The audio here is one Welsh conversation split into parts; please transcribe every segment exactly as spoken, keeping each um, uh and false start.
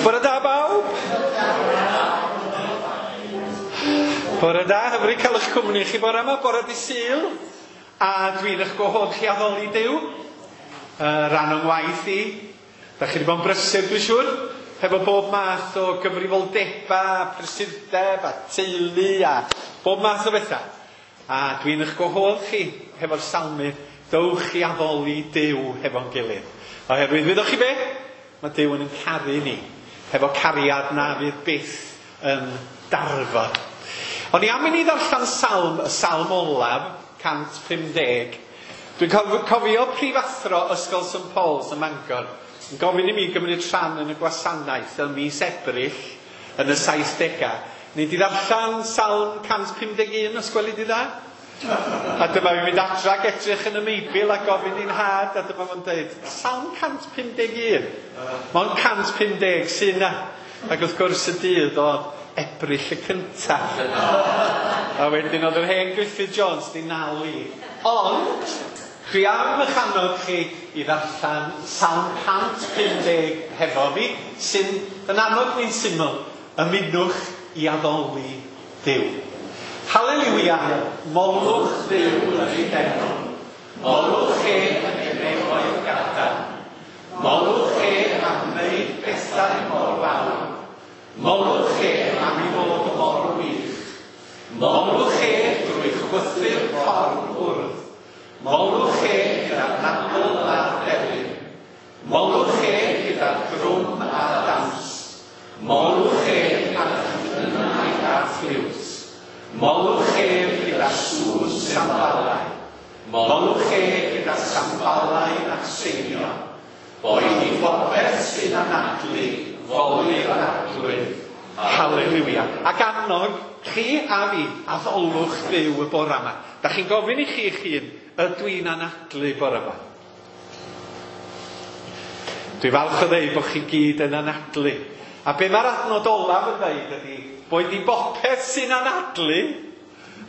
Bore da bawb. Bore da, hyfryd cael eich cwmni chi bore yma, bore di Sul. A dwi'n eich gwahodd chi addoli Duw. Uh, rhan o'n ngwaith i. Da chi wedi bod yn brysur, dwi'n siŵr, hefo bob math o gyfrifoldeba, prysurdeb a teulu a bob math o bethau. A dwi'n eich gwahodd chi hefo'r salmydd, dowch i addoli Duw hefo'n gilydd. Oherwydd, wyddoch chi be? Mae Duw yn caru ni, hefo cariad na fydd byth yn darfod. O'n i am i ni ddarllen salm, y salm olaf, cant pum deg. Dwi'n cofio prifathro Ysgol Saint Paul's ym Mangor yn gofyn i mi gymryd rhan yn y gwasanaeth ym mis Ebrill yn y saithdegau. Ni di ddarllen salm cant pum deg un, os gweli di dda? A dyma fi'n mynd adra ac edrych yn y Meibl a gofyn i'n nhad, a dyma fo'n dweud, salm cant pum deg un. Mae'n cant pum deg sy'n na. Ac wrth gwrs y dydd oedd Ebrill y cyntaf. A wedyn oedd yr hen Griffith Jones di nal i. Ond, dwi am eich annog chi i ddarllen salm cant pum deg hefo fi, sy'n yn annog ni'n syml, ymunwch i addoli Duw. Haleliwia, molwch Dduw yn ei deml. Molwch e yn ei nefoedd gadarn. Molwch e am wneud bethau mor fawr. Molwch e am ei fod mor wych. Molwch e drwy chwythu'r corn hwrdd. Molwch e gyda'r nadl a'r delyn. Molwch e gyda'r drwm a'r dawns. Molwch e a'r llynau a'r ffliwt. Molwch ef gyda sŵn sambalau. Molwch e gyda sambalau a seinio. Boed i bopeth sy'n anadlu, foli'r Arglwydd. Haleliwia. Ac annog chi a fi, addolwch Dduw y bore yma. Da chi'n gofyn i chi eich hun, ydw i'n anadlu bore yma? Dwi falch o ddeud bod chi gyd yn anadlu. A be mae'r adnod olaf yn dweud ydy, boed i bopeth sy'n anadlu,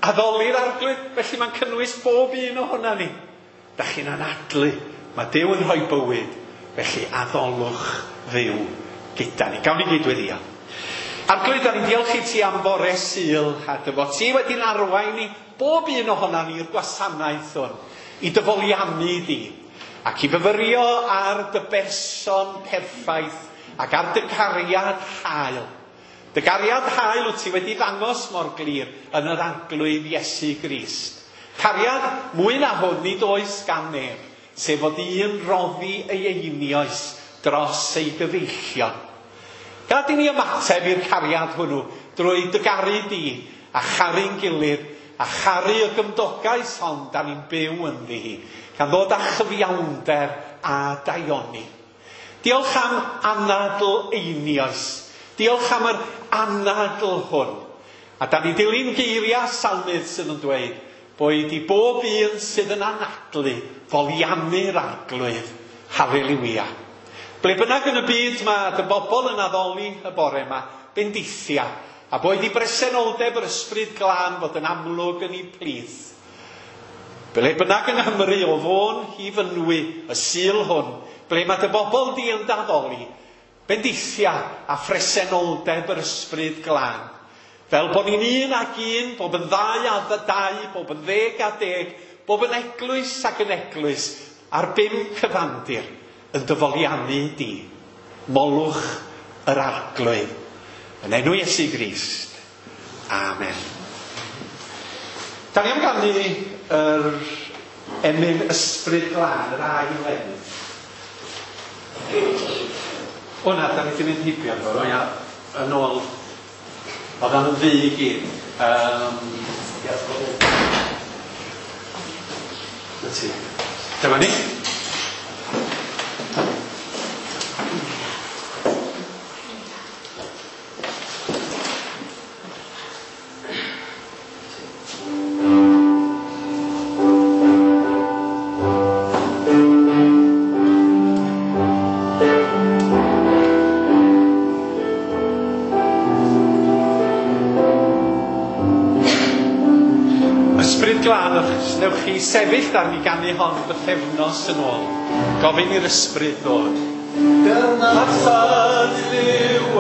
addoli'r Arglwydd. Felly mae'n cynnwys bob un ohona ni. Da chi'n anadlu. Mae Duw yn rhoi bywyd. Felly addolwch Dduw gyda ni. Gawn ni gyd weddio. Arglwydd, da ni'n diolch i ti am fore Sul, a dy fod ti wedi'n arwain ni bob un ohona ni i'r gwasanaeth hwn, i dyfoliannu di, ac i fyfyrio ar dy berson perffaith ac ar dy gariad hael. Dy gariad hael wyt ti wedi ddangos mor glir yn yr Arglwydd Iesu Grist. Cariad mwy na hwn nid oes gan neb, sef fod un roddi ei einioes dros ei gyfeillion. Gad i ni ymateb i'r cariad hwnnw drwy dy garu di a charu'n gilydd a charu y gymdogaeth hon da ni'n byw ynddi hi, gan ddod â chyfiawnder a daioni. Diolch am anadl einioes. Diolch am yr anadl hwn. A da ni dilyn geiriau salmydd sydd yn dweud, boed i bob un sydd yn anadlu foliannu'r Arglwydd. Haleliwia. Ble bynnag yn y byd mae dy bobl yn addoli y bore yma, bendithia, a boed i bresenoldeb yr Ysbryd Glân fod yn amlwg yn ei plith. Ble bynnag yng Nghymru o Fôn i Fynwy y Sul hwn, ble mae dy bobl di yn daddoli, bendithia a phresenoldeb yr Ysbryd Glân. Fel bod ni'n un ac un, bob yn ddau a dau, bob yn ddeg a deg, bob yn eglwys ac yn eglwys, ar bum cyfandir, yn dyfoliannu di. Molwch yr Arglwydd. Yn enw Iesu Grist. Amen. Da ni am ganu yr emyn Ysbryd Glân, yr ail emyn. O na, da ni wedi mynd heibio fo, ia, yn ôl, oedd yn ddu i gyd. Um, Na ti. Dyma ni. Newch chi sefyll ar ni ganu hon bythefnos yn ôl. Gofyn i'r Ysbryd ddod. Dyna Dduw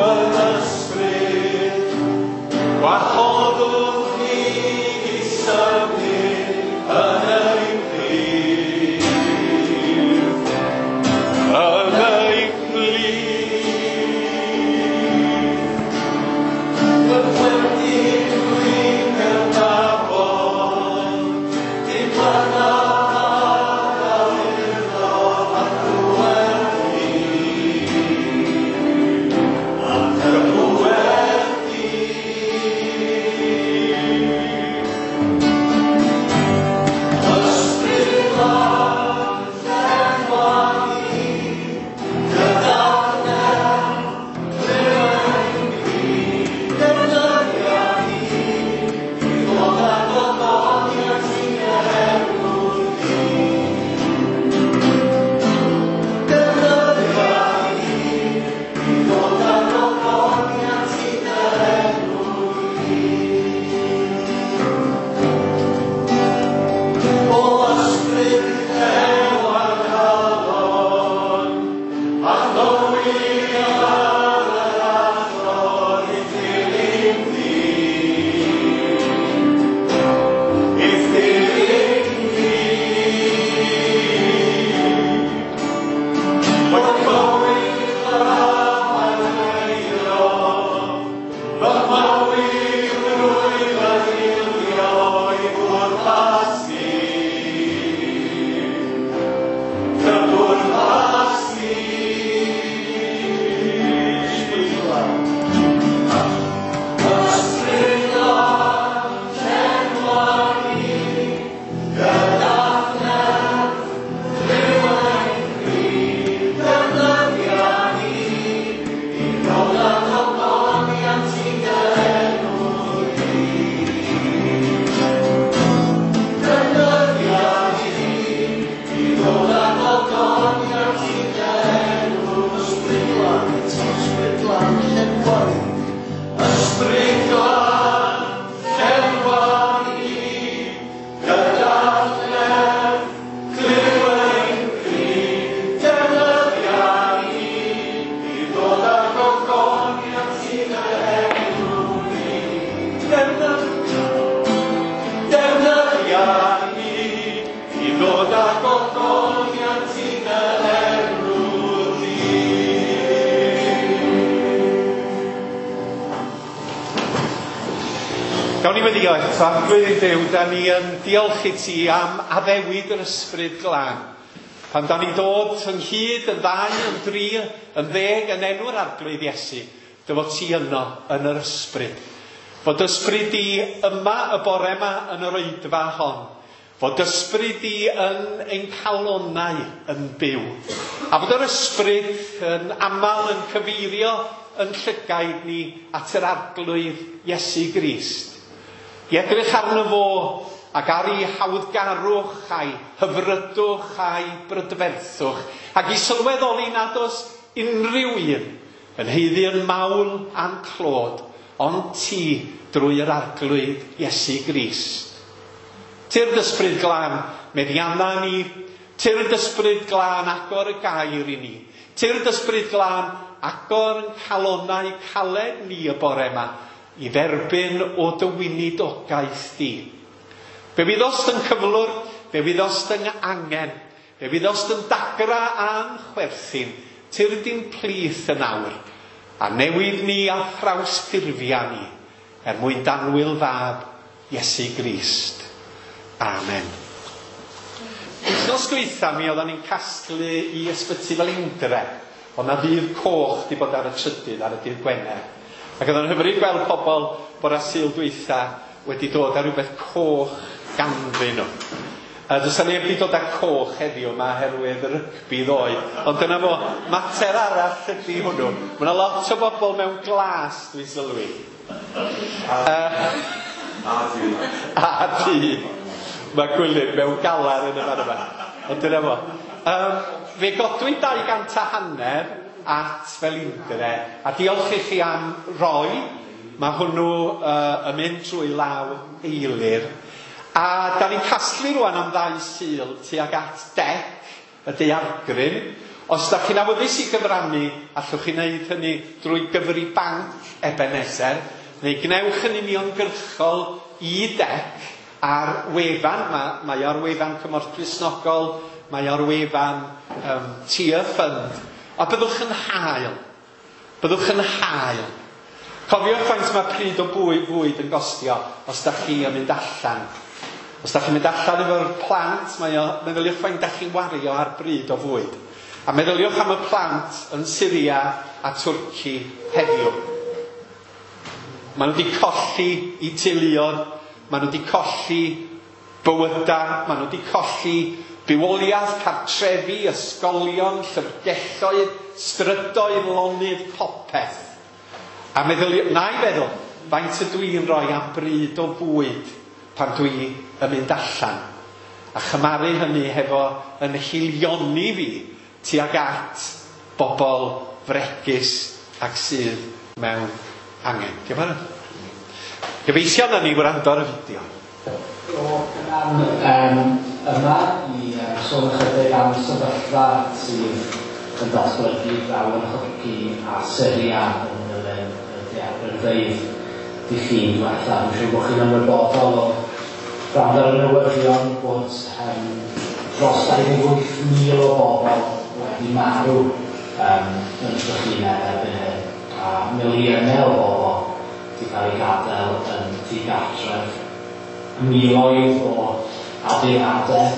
Gawn ni weddio eto. Arglwydd Duw, da ni yn diolch i ti am addewid yr Ysbryd Glân. Pan da ni'n dod ynghyd yn ddau, yn dri, yn ddeg, yn enw'r Arglwydd Iesu, dy fod ti yno yn yr Ysbryd. Fod ysbryd di yma y bore yma yn yr oedfa hon. Fod ysbryd di yn ein calonnau yn byw. A fod yr ysbryd yn aml yn cyfeirio yn llygaid ni at yr Arglwydd Iesu Grist. I edrych arno fo ac ar ei hawddgarwch a'i hyfrydwch a'i brydferthwch, ac i sylweddoli nad oes unrhyw un yn haeddu yn mawl a'n clod, ond ti drwy yr Arglwydd Iesu Grist. Tyrd Ysbryd Glân, meddianna ni. Tyrd Ysbryd Glân, agor y gair i ni. Tyrd Ysbryd Glân, agor yn calonnau caled ni y bore yma, i dderbyn o dy weinidogaeth di. Fe wyddost yn cyflwr, fe wyddost yn angen, fe wyddost yn dagra a'n chwerthin, tyrd i'n plith yn awr, a newid ni a thrawsffurfia ni, er mwyn danwyl fab Iesu Grist. Amen. Wythnos dwytha mi oeddan ni'n casglu i Ysbyty Felindre, ond na ddydd coch di bod ar y trydydd, ar y dydd Gwener. Ac oedd o'n hyfryd gweld pobl bore Sul dwytha wedi dod â rhywbeth coch ganddyn nhw. A does 'na neb wedi dod â coch heddiw yma oherwydd y rygbi ddoe. Ond dyna fo, mater arall ydy hwnnw. Mae yna lot o bobl mewn glas, dwi'n sylwi. Uh, A du. A du. Mae Gwilym mewn galar yn y fan yma. Ond dyna fo. Um, fe godwyd dau gant a hanner at Felindre, a diolch i chi am roi. Mae hwnnw uh, yn mynd trwy law Eilir. A da ni'n casglu rwan am ddau Sul tuag at dec y daeargryn. Os da chi'n awyddus i gyfrannu, allwch chi wneud hynny drwy gyfri banc Ebenezer, neu gnewch yn uniongyrchol i dec ar wefan. Mae, mae ar wefan Cymorth Cristnogol, mae ar wefan um, Tear Fund. A byddwch yn hael. Byddwch yn hael. Cofiwch faint mae pryd o bwyd, fwyd yn gostio os da chi yn mynd allan. Os da chi'n mynd allan efo'r plant, mae o, meddyliwch faint da chi'n wario ar bryd o fwyd. A meddyliwch am y plant yn Syria a Twrci heddiw. Maen nhw wedi colli eu teuluoedd, maen nhw wedi colli bywydau, maen nhw wedi colli bywoliaeth, cartrefi, ysgolion, llyfrgelloedd, strydoedd, lonydd, popeth. A meddyliw, na i feddwl, faint ydw i'n rhoi am bryd o fwyd pan dwi yn mynd allan. A chymaru hynny hefo yn haelioni fi tuag at bobl fregus ac sydd mewn angen. Diolch yn fawr. Gobeithio na ni wrando ar y fideo. O um, yma i um, sôn ychydig am sefyllfa sydd yn datblygu draw yn Nhwrci a Syria yn dilyn y daeargrynfeydd dydd Llun diwetha. Dwi'n siŵr bod chi'n ymwybodol o gwrando ar y newyddion bod um, dros dau ddeg wyth mil o bobl wedi marw um, yn trychineb erbyn hyn, a miliynau o bobl wedi cael eu gadael yn ddigartref. Miloedd o adeiladau,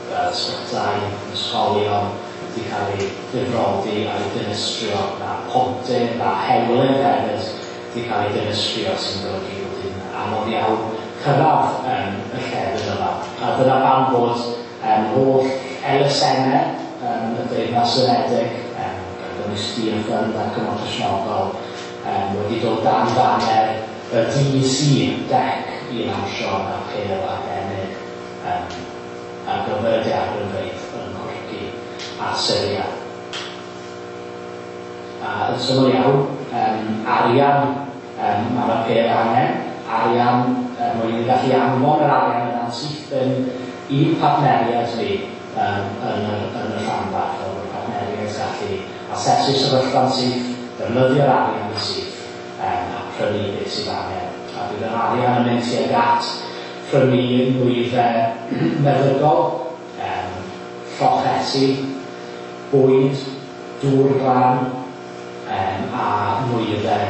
fel ysbytai, ysgolion, wedi cael eu difrodi a'u dinistrio, a pontydd a hewlydd hefyd wedi cael eu dinistrio, sy'n golygu bod hi'n anodd iawn cyrraedd um, y llefydd yma. A dyna pam bod um, holl elusennau um, y Deyrnas Unedig, um, gan gynnwys Tearfund a Cymorth Cristnogol, um, wedi dod dan faner y D C D E C i lansio apêl arbennig um, ar gyfer y daeargrynfeydd yn Nhwrci a Syria. A yn syml iawn, um, arian um, mae'r apêl angen, arian er mwyn i ni gallu anfon yr arian yna'n syth yn i'n partneriaid ni um, yn, yr, yn y rhanbarth, fel bod y partneriaid gallu asesu sefyllfa'n syth, defnyddio'r arian yn syth um, a prynu beth sydd angen. A bydd yr arian yn mynd tuag at prynu nwyddau meddygol, um, llochesi, bwyd, dŵr glân um, a nwyddau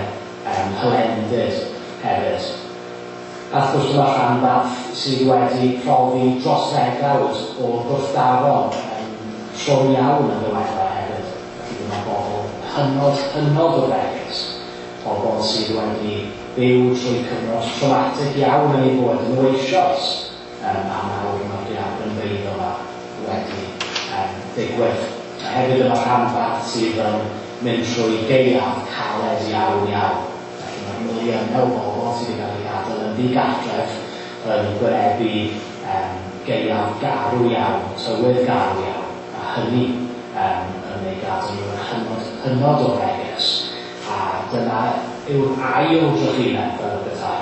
um, hylendid hefyd. A wrth gwrs dyma rhanbarth sydd wedi profi dros ddegawd o gwrthdaro um, trwm iawn yn ddiweddar hefyd. Felly dyma bobl hynod, hynod o fregus, pobl sydd wedi byw trwy cyfnod traumatic iawn yn eu bywyd yn eisoes, um, a nawr mae'r daeargrynfeydd yma wedi um, digwydd. A hefyd yma rhanbarth sydd yn mynd trwy gaeaf caled iawn iawn. Felly mae'r miliynau o bobl sydd wedi cael eu gadael yn ddigartref yn gwynebu um, gaeaf garw iawn, tywydd garw iawn, a hynny um, yn ei gadael nhw yn hynod, hynod o fregus. A dyna yw'r ail drychineb fel y petai.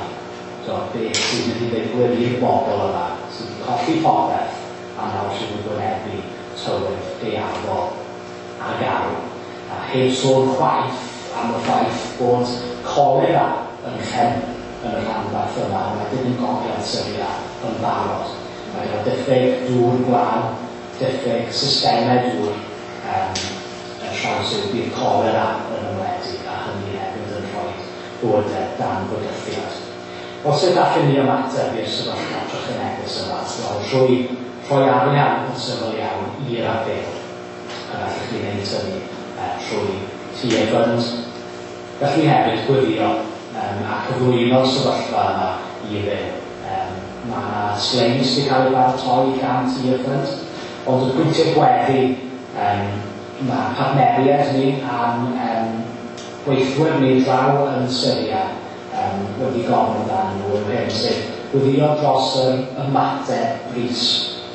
So, beth sy'n mynd i ddigwydd i'r bobl yma sydd wedi colli popeth a nawr sydd wedi gwynebu tywydd gaeafol a garw. A heb sôn chwaith am y ffaith bod cholera yn lled yn y rhanbarth yma, wedyn yn gogledd Syria yn barod. Mae gyda diffyg dŵr glân, diffyg systemau dŵr um, yn traws yw bydd cholera yn ymledu, a hynny hefyd yn rhoi bywydau dan fygythiad. Os sut allwn ni ymateb i'r sefyllfa trychinebus yma? Wel, trwy rhoi arian yn syml iawn i'r apêl. A gallwch chi wneud hynny uh, trwy Tearfund. Gallwn ni hefyd gwylio um, a cyflwyno'r sefyllfa yma i Dduw. Um, mae yna sleis wedi cael ei baratoi gan Tearfund, ond y pwyntiau gweddi, um, mae partneriaid ni a'n um, gweithwyr ni draw yn Syria um, wedi gofyn amdanyn nhw yw hyn, sef gweddio dros yr ymateb brys.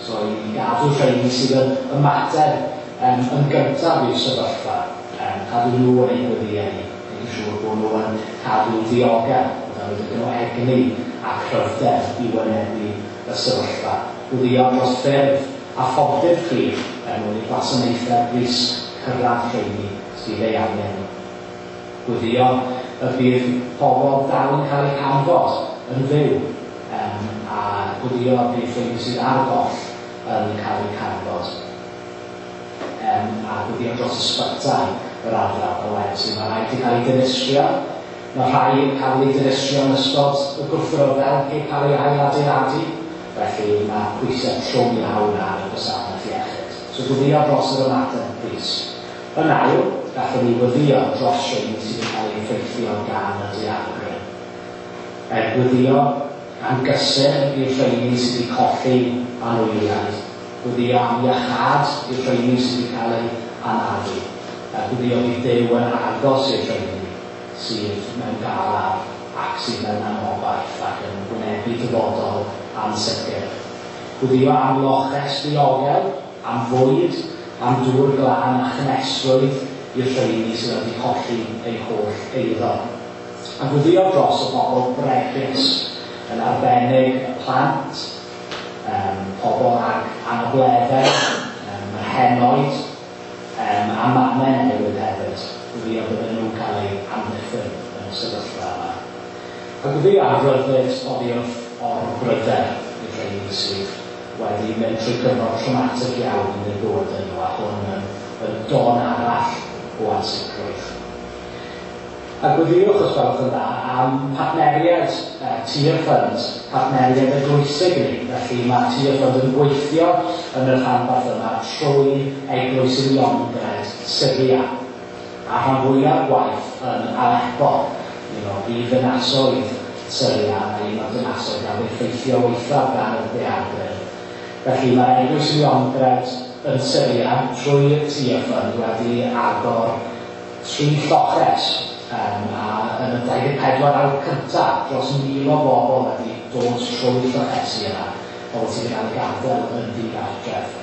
So i gadw rheini sydd yn ymateb um, yn gyntaf i'r sefyllfa, um, cadw nhw yn eu gweddiau ni, gwneud yn siŵr bod nhw yn cadw ddiogel, bod nhw gyda nhw egni a cryfder i wynebu y sefyllfa. Gweddio dros ffyrdd a phontydd clir er mwyn i gwasanaethau brys cyrraedd rheini sydd ei angen. Gweddio y bydd pobl dal yn cael eu canfod yn fyw, um, a gweddio y bydd rheini sydd ar goll yn cael eu canfod. Um, a gweddio dros ysbytai yr ardal o wedyn. Mae rhai wedi cael eu dinistrio, mae rhai yn cael eu dinistrio yn ystod y gwrthryfel heb cael ei ailadeiladu, felly mae pwysau trwm iawn ar y gwasanaeth iechyd. So gweddio dros yr ymateb brys. Yn ail, gallwn ni weddio dros rheini sydd wedi cael eu effeithio gan y daeargryn. Er gweddio am gysur i'r rheini sydd wedi colli anwyliaid. Gweddio am iachâd i'r rheini sydd wedi cael eu anafu. A gweddio bydd Duw yn agos i'r rheini sydd mewn galar ac sydd mewn anobaith ac yn wynebu dyfodol ansicr. Gweddio am loches diogel, am fwyd, am dŵr glân a chynhesrwydd i'r rheini sydd wedi colli eu holl eiddo. A gweddio dros y bobl bregus, yn arbennig y plant, um, pobl ag anableddau, um, yr henoed, um, Um, a mamau newydd hefyd, gweddio bydden nhw'n cael eu amddiffyn yn y sefyllfa yma. A gweddio am ryddid oddi wrth orbryder i'r rheini sydd wedi mynd trwy cyfnod traumatic iawn yn eu bywydau nhw, a hwn yn, yn don arall o ansicrwydd. A gweddiwch, os gwelwch yn dda, am partneriaid uh, Tearfund, partneriaid eglwysig ni. Felly mae Tearfund yn gweithio yn y rhanbarth yma trwy Eglwys Uniongred Syria. A rhan fwyaf gwaith yn Aleppo, un o brif ddinasoedd Syria, a un o'r dinasoedd gafodd effeithio waethaf gan y daeargryn. Felly mae'r Eglwys Uniongred yn Syria trwy Tearfund wedi agor tri lloches. Um, a yn y dau ddeg pedwar awr cyntaf, dros mil o bobl wedi dod trwy llochesi yna, pobl sydd wedi cael eu gadael yn ddigartref.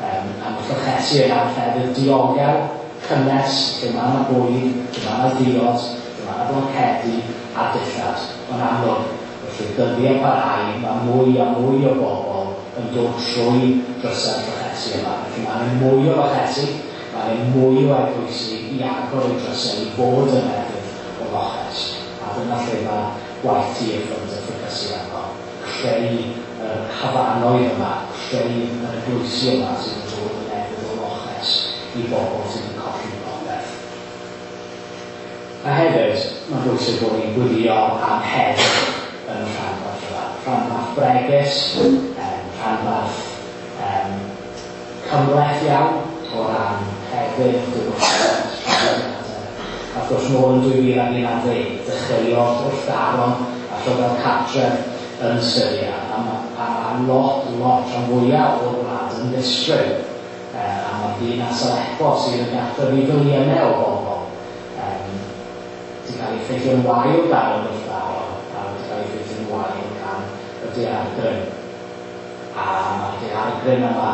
Um, a mae llochesi yna yn llefydd diogel, cynnes, lle mae yna bwyd, lle mae yna ddiod, lle mae yna blancedi a dillad. Ond amlwg, wrth i'r dyddiau parhau, mae mwy a mwy o bobl yn dod trwy drysau'r llochesi yma. Felly mae yna mwy o lochesi, mae yna mwy o eglwysi i agor eu drysau i fod yn lefydd o loches. A dyna lle mae gwaith Tearfund yn ffocysu arno. Creu yr hafanoedd yma, creu yr eglwysi yma sydd yn dod yn lefydd o loches i bobl sydd yn colli popeth. A hefyd, mae'n bwysig bod ni'n gwylio am heddwch yn y rhanbarth yma. Rhanbarth bregus, um, rhanbarth um, cymhleth iawn o ran hefyd, diwylliant, traddodiadau. A wrth gwrs, nôl yn dwy fil ag un ar ddeg, dechreuodd wrthdaron a rhyfel cartref yn Syria. A mae a ma lot, lot rhan fwyaf o'r wlad yn ddistryd. E, a mae'r ddinas Aleppo sydd yn gartref i filiynau o bobl um, wedi cael ei effeithio'n wael gan y wrthdaron a wedi cael ei effeithio'n wael gan y daeargryn. A mae'r daeargryn yma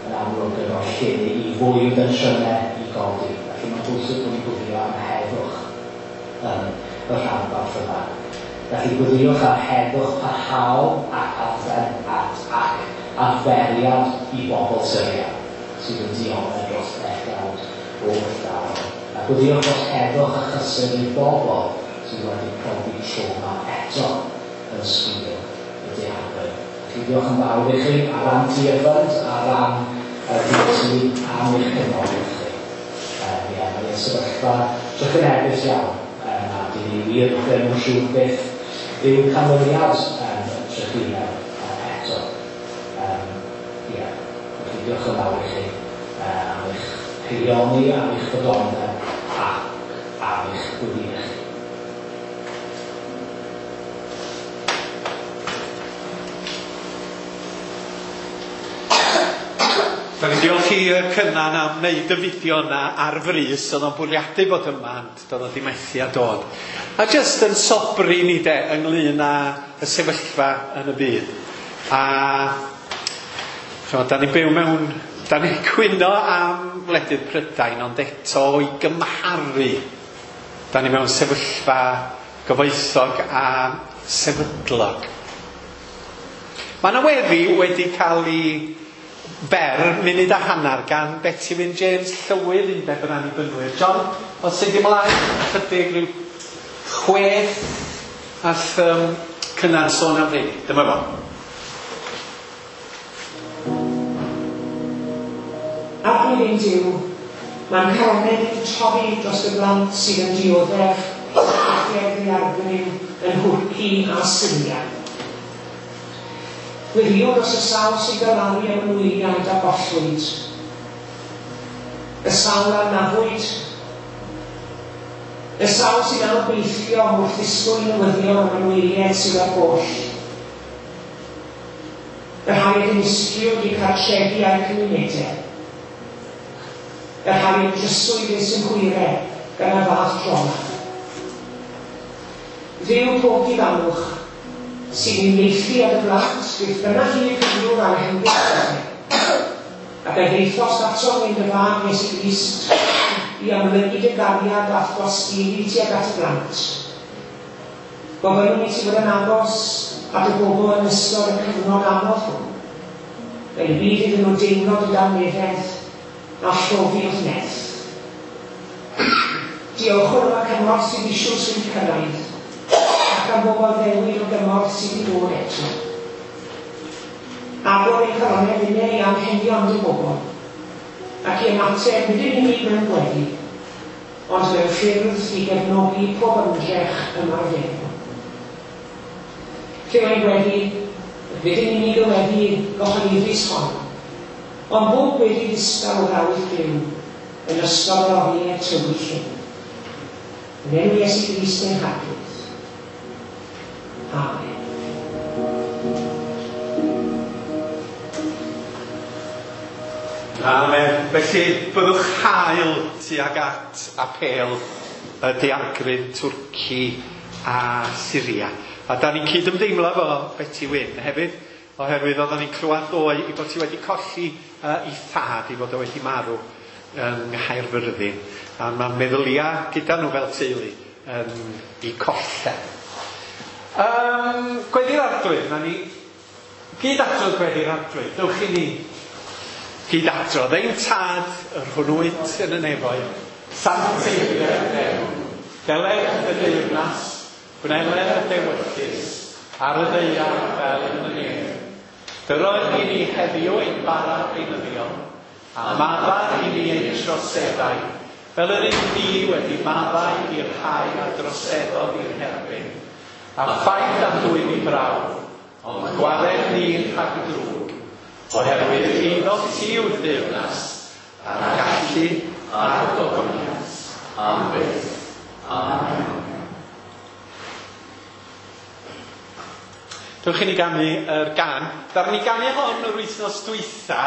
yn amlwg yn rhoi lle i fwy o densiynau i godi. Felly mae'n bwysig bod ni'n gwylio am heddwch yn y rhanbarth yma. Felly gweddiwch am heddwch parhaol ac adfer, at, ac adferiad i bobl Syria sydd yn dioddef dros ddegawd o wrthdaro. A gweddiwch dros heddwch a chysur i'r bobl sydd wedi profi trauma eto yn sgil y daeargryn. Felly diolch yn fawr i chi ar ran Tearfund, ar ran y D C am eich cefnogaeth chi. Um, ie, mae'n sefyllfa trychinebus iawn, um, a dyn ni wir ddim yn siŵr beth yw canlyniad um, y trychineb uh, eto. Um, ie, felly diolch yn fawr i chi uh, am eich haelioni, am eich ffyddlondeb ac am eich gweddïau chi. Da ni'n diolch i Cynan am wneud y fideo yna ar frys, oedd o'n bwriadu bod yma, ond doedd o di methu a dod. A jyst yn sobri ni de ynglyn â y sefyllfa yn y byd. A ch'mod, da ni'n byw mewn, da ni'n cwyno am wledydd Prydain, ond eto i gymharu, da ni mewn sefyllfa gyfoethog a sefydlog. Mae yna weddi wedi cael ei ber, munud a hanner, gan Betty Wyn James, llywydd Undeb yr Annibynwyr. John, os sydd ymlaen, chydig rhyw chwech ath um, Cynan sôn am rheini. Dyma fo. Arglwydd ein Duw, mae'n calonnau wedi torri dros y blant sydd yn dioddef effaith ddaeargryn yn Nhwrci a Syria. Gweddio dros y sawl sy'n galaru am anwyliaid a gollwyd, y sawl a anafwyd, y sawl sy'n anobeithio wrth ddisgwyl newyddion am anwyliaid sydd ar goll, y rhai a dinistriwyd eu cartrefi a'u cymunedau, y rhai a dryswyd eu synhwyrau gan y fath droma. Dduw pob difannwch, sy'n uniaethu ar y blant, beth bynnag i cyflwr a'i hymgyrch, ac a ddeithost ato yn dy fab Iesu Grist i amlygu dy gariad a'th dosturi tuag at y blant. Gofynnwn i ti fod yn agos at y bobl yn ystod y cyfnod anodd hwn, fel y bydd iddyn nhw deimlo dy dangnefedd a llofi wrth nerth. Diolchwn am y cymorth sydd eisoes wedi cyrraedd, ac am bob addewid o gymorth sydd i ddod eto. Agor ein calonnau ninnau i anghenion dy bobl, ac i ymateb nid yn unig mewn gweddi, ond mewn ffyrdd i gefnogi pob ymdrech ymarferol. Lle mae'n gweddi, nid yn unig y weddi gyhoeddus hon, ond bob gweddi ddistaw o ddawyll Duw yn ystod yr oriau tywyll hyn. Yn enw Iesu Grist ein Harglwydd. Amen. Amen. Felly, byddwch hael tuag at apêl y daeargryn Twrci a Syria. A da ni'n cydymdeimlo efo Beti Wyn hefyd, oherwydd oedden ni'n clywed ddoe i bod hi wedi colli uh, ei thad, i fod o wedi marw yng Nghaerfyrddin. A mae meddyliau gyda nhw fel teulu yn ei colled. Um, Gweddi'r Arglwydd, na ni gyd adrodd Gweddi'r Arglwydd. Dewch i ni gyd adrodd. Ein tad, yr hwn wyt yn y nefoedd, sancteiddier dy enw, deled y deyrnas, gwneler y dewyllys, ar y ddaear fel yn y nef. Dyro i ni heddiw ein bara beunyddiol, a maddau i ni ein troseddau, fel yr ydym ni wedi maddau i'r rhai a droseddodd i'n herbyn. A phaid â'n dwyn i brawf, ond gwared ni rhag y drwg, oherwydd eiddo ti yw'r deyrnas, a'r gallu a'r gogoniant, am byth. Amen. Dewch i ni ganu yr gan. Ddaru ni ganu hon yr wythnos dwytha,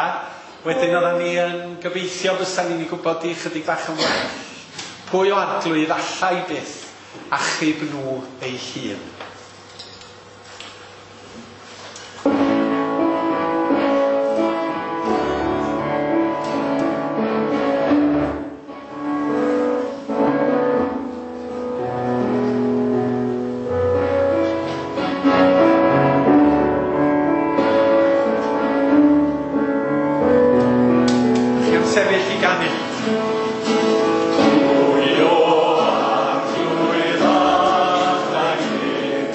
wedyn oedden ni yn gobeithio fysa ni'n ei gwybod i chydig bach yn well. Pwy o arglwydd allai byth achub nhw ei hun? Chi am sefyll i ganu? Pwy o arglwydd allai byth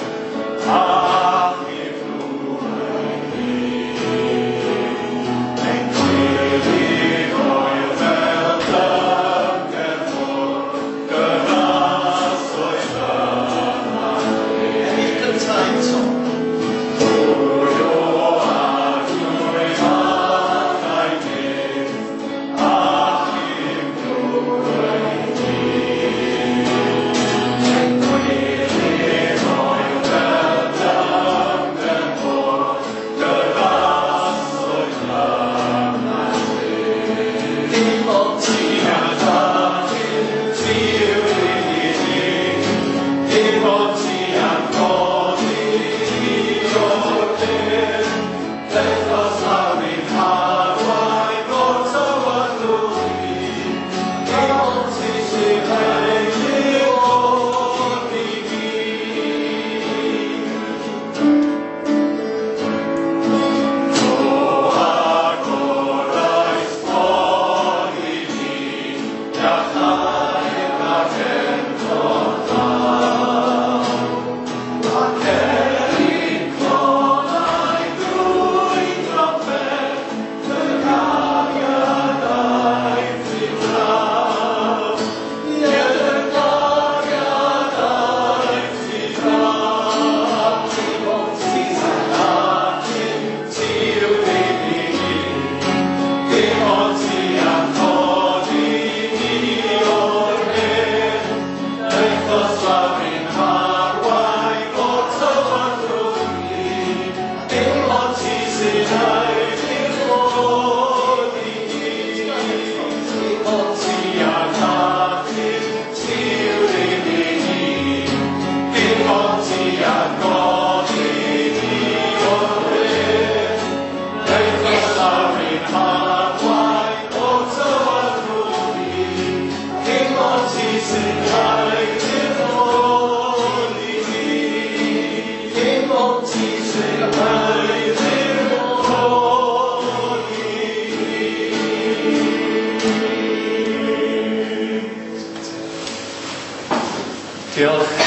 Diolch.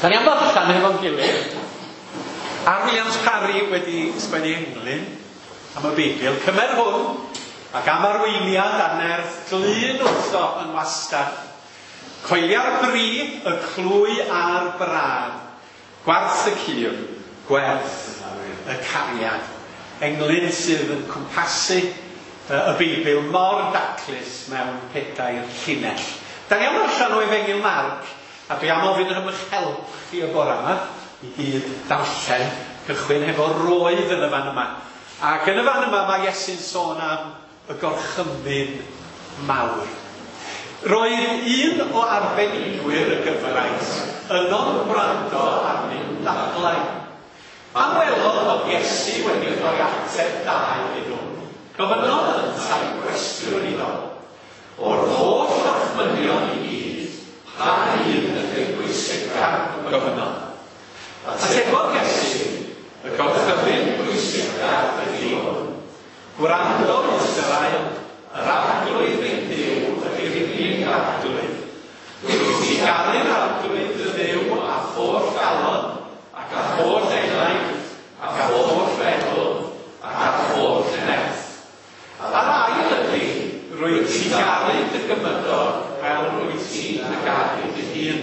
Da ni am ddarllen hefo'n gilydd. R. Williams Parry wedi sgwennu englyn am y Beibl. Cymer hwn ac am arweiniad a nerth glyn wrtho yn wastad. Coelia'r bri, y clwy a'r brad. Gwarth y cur, gwerth y cariad. Englyn sydd yn cwmpasu y Beibl mor daclus mewn pedair llinell. Da ni am ddarllen o Efengyl Marc, a dwi am ofyn am eich help chi y bore yma i gyd darllen, cychwyn hefo roedd yn y fan yma. Ac yn y fan yma mae Iesu'n sôn am y gorchymyn mawr. Roedd un o arbenigwyr y gyfraith yno'n gwrando arnyn dadlau. Pan welodd fod Iesu wedi rhoi ateb da iddyn nhw, gofynnodd yntau gwestiwn iddo. O'r holl orchmynion i gyd, pa un ydy'r bwysicaf? Gofynnodd. Atebodd Iesu, y gorchymyn bwysicaf ydy hwn. Gwrando Israel, yr Arglwydd ein Duw ydy'r unig Arglwydd. Rwyt ti garu'r Arglwydd dy Dduw â holl galon, ac â holl enaid, ac â holl feddwl, ac â holl nerth. A'r ail ydy, rwyt ti'n garu dy gymydog fel rwyt ti'n dy garu dy hun.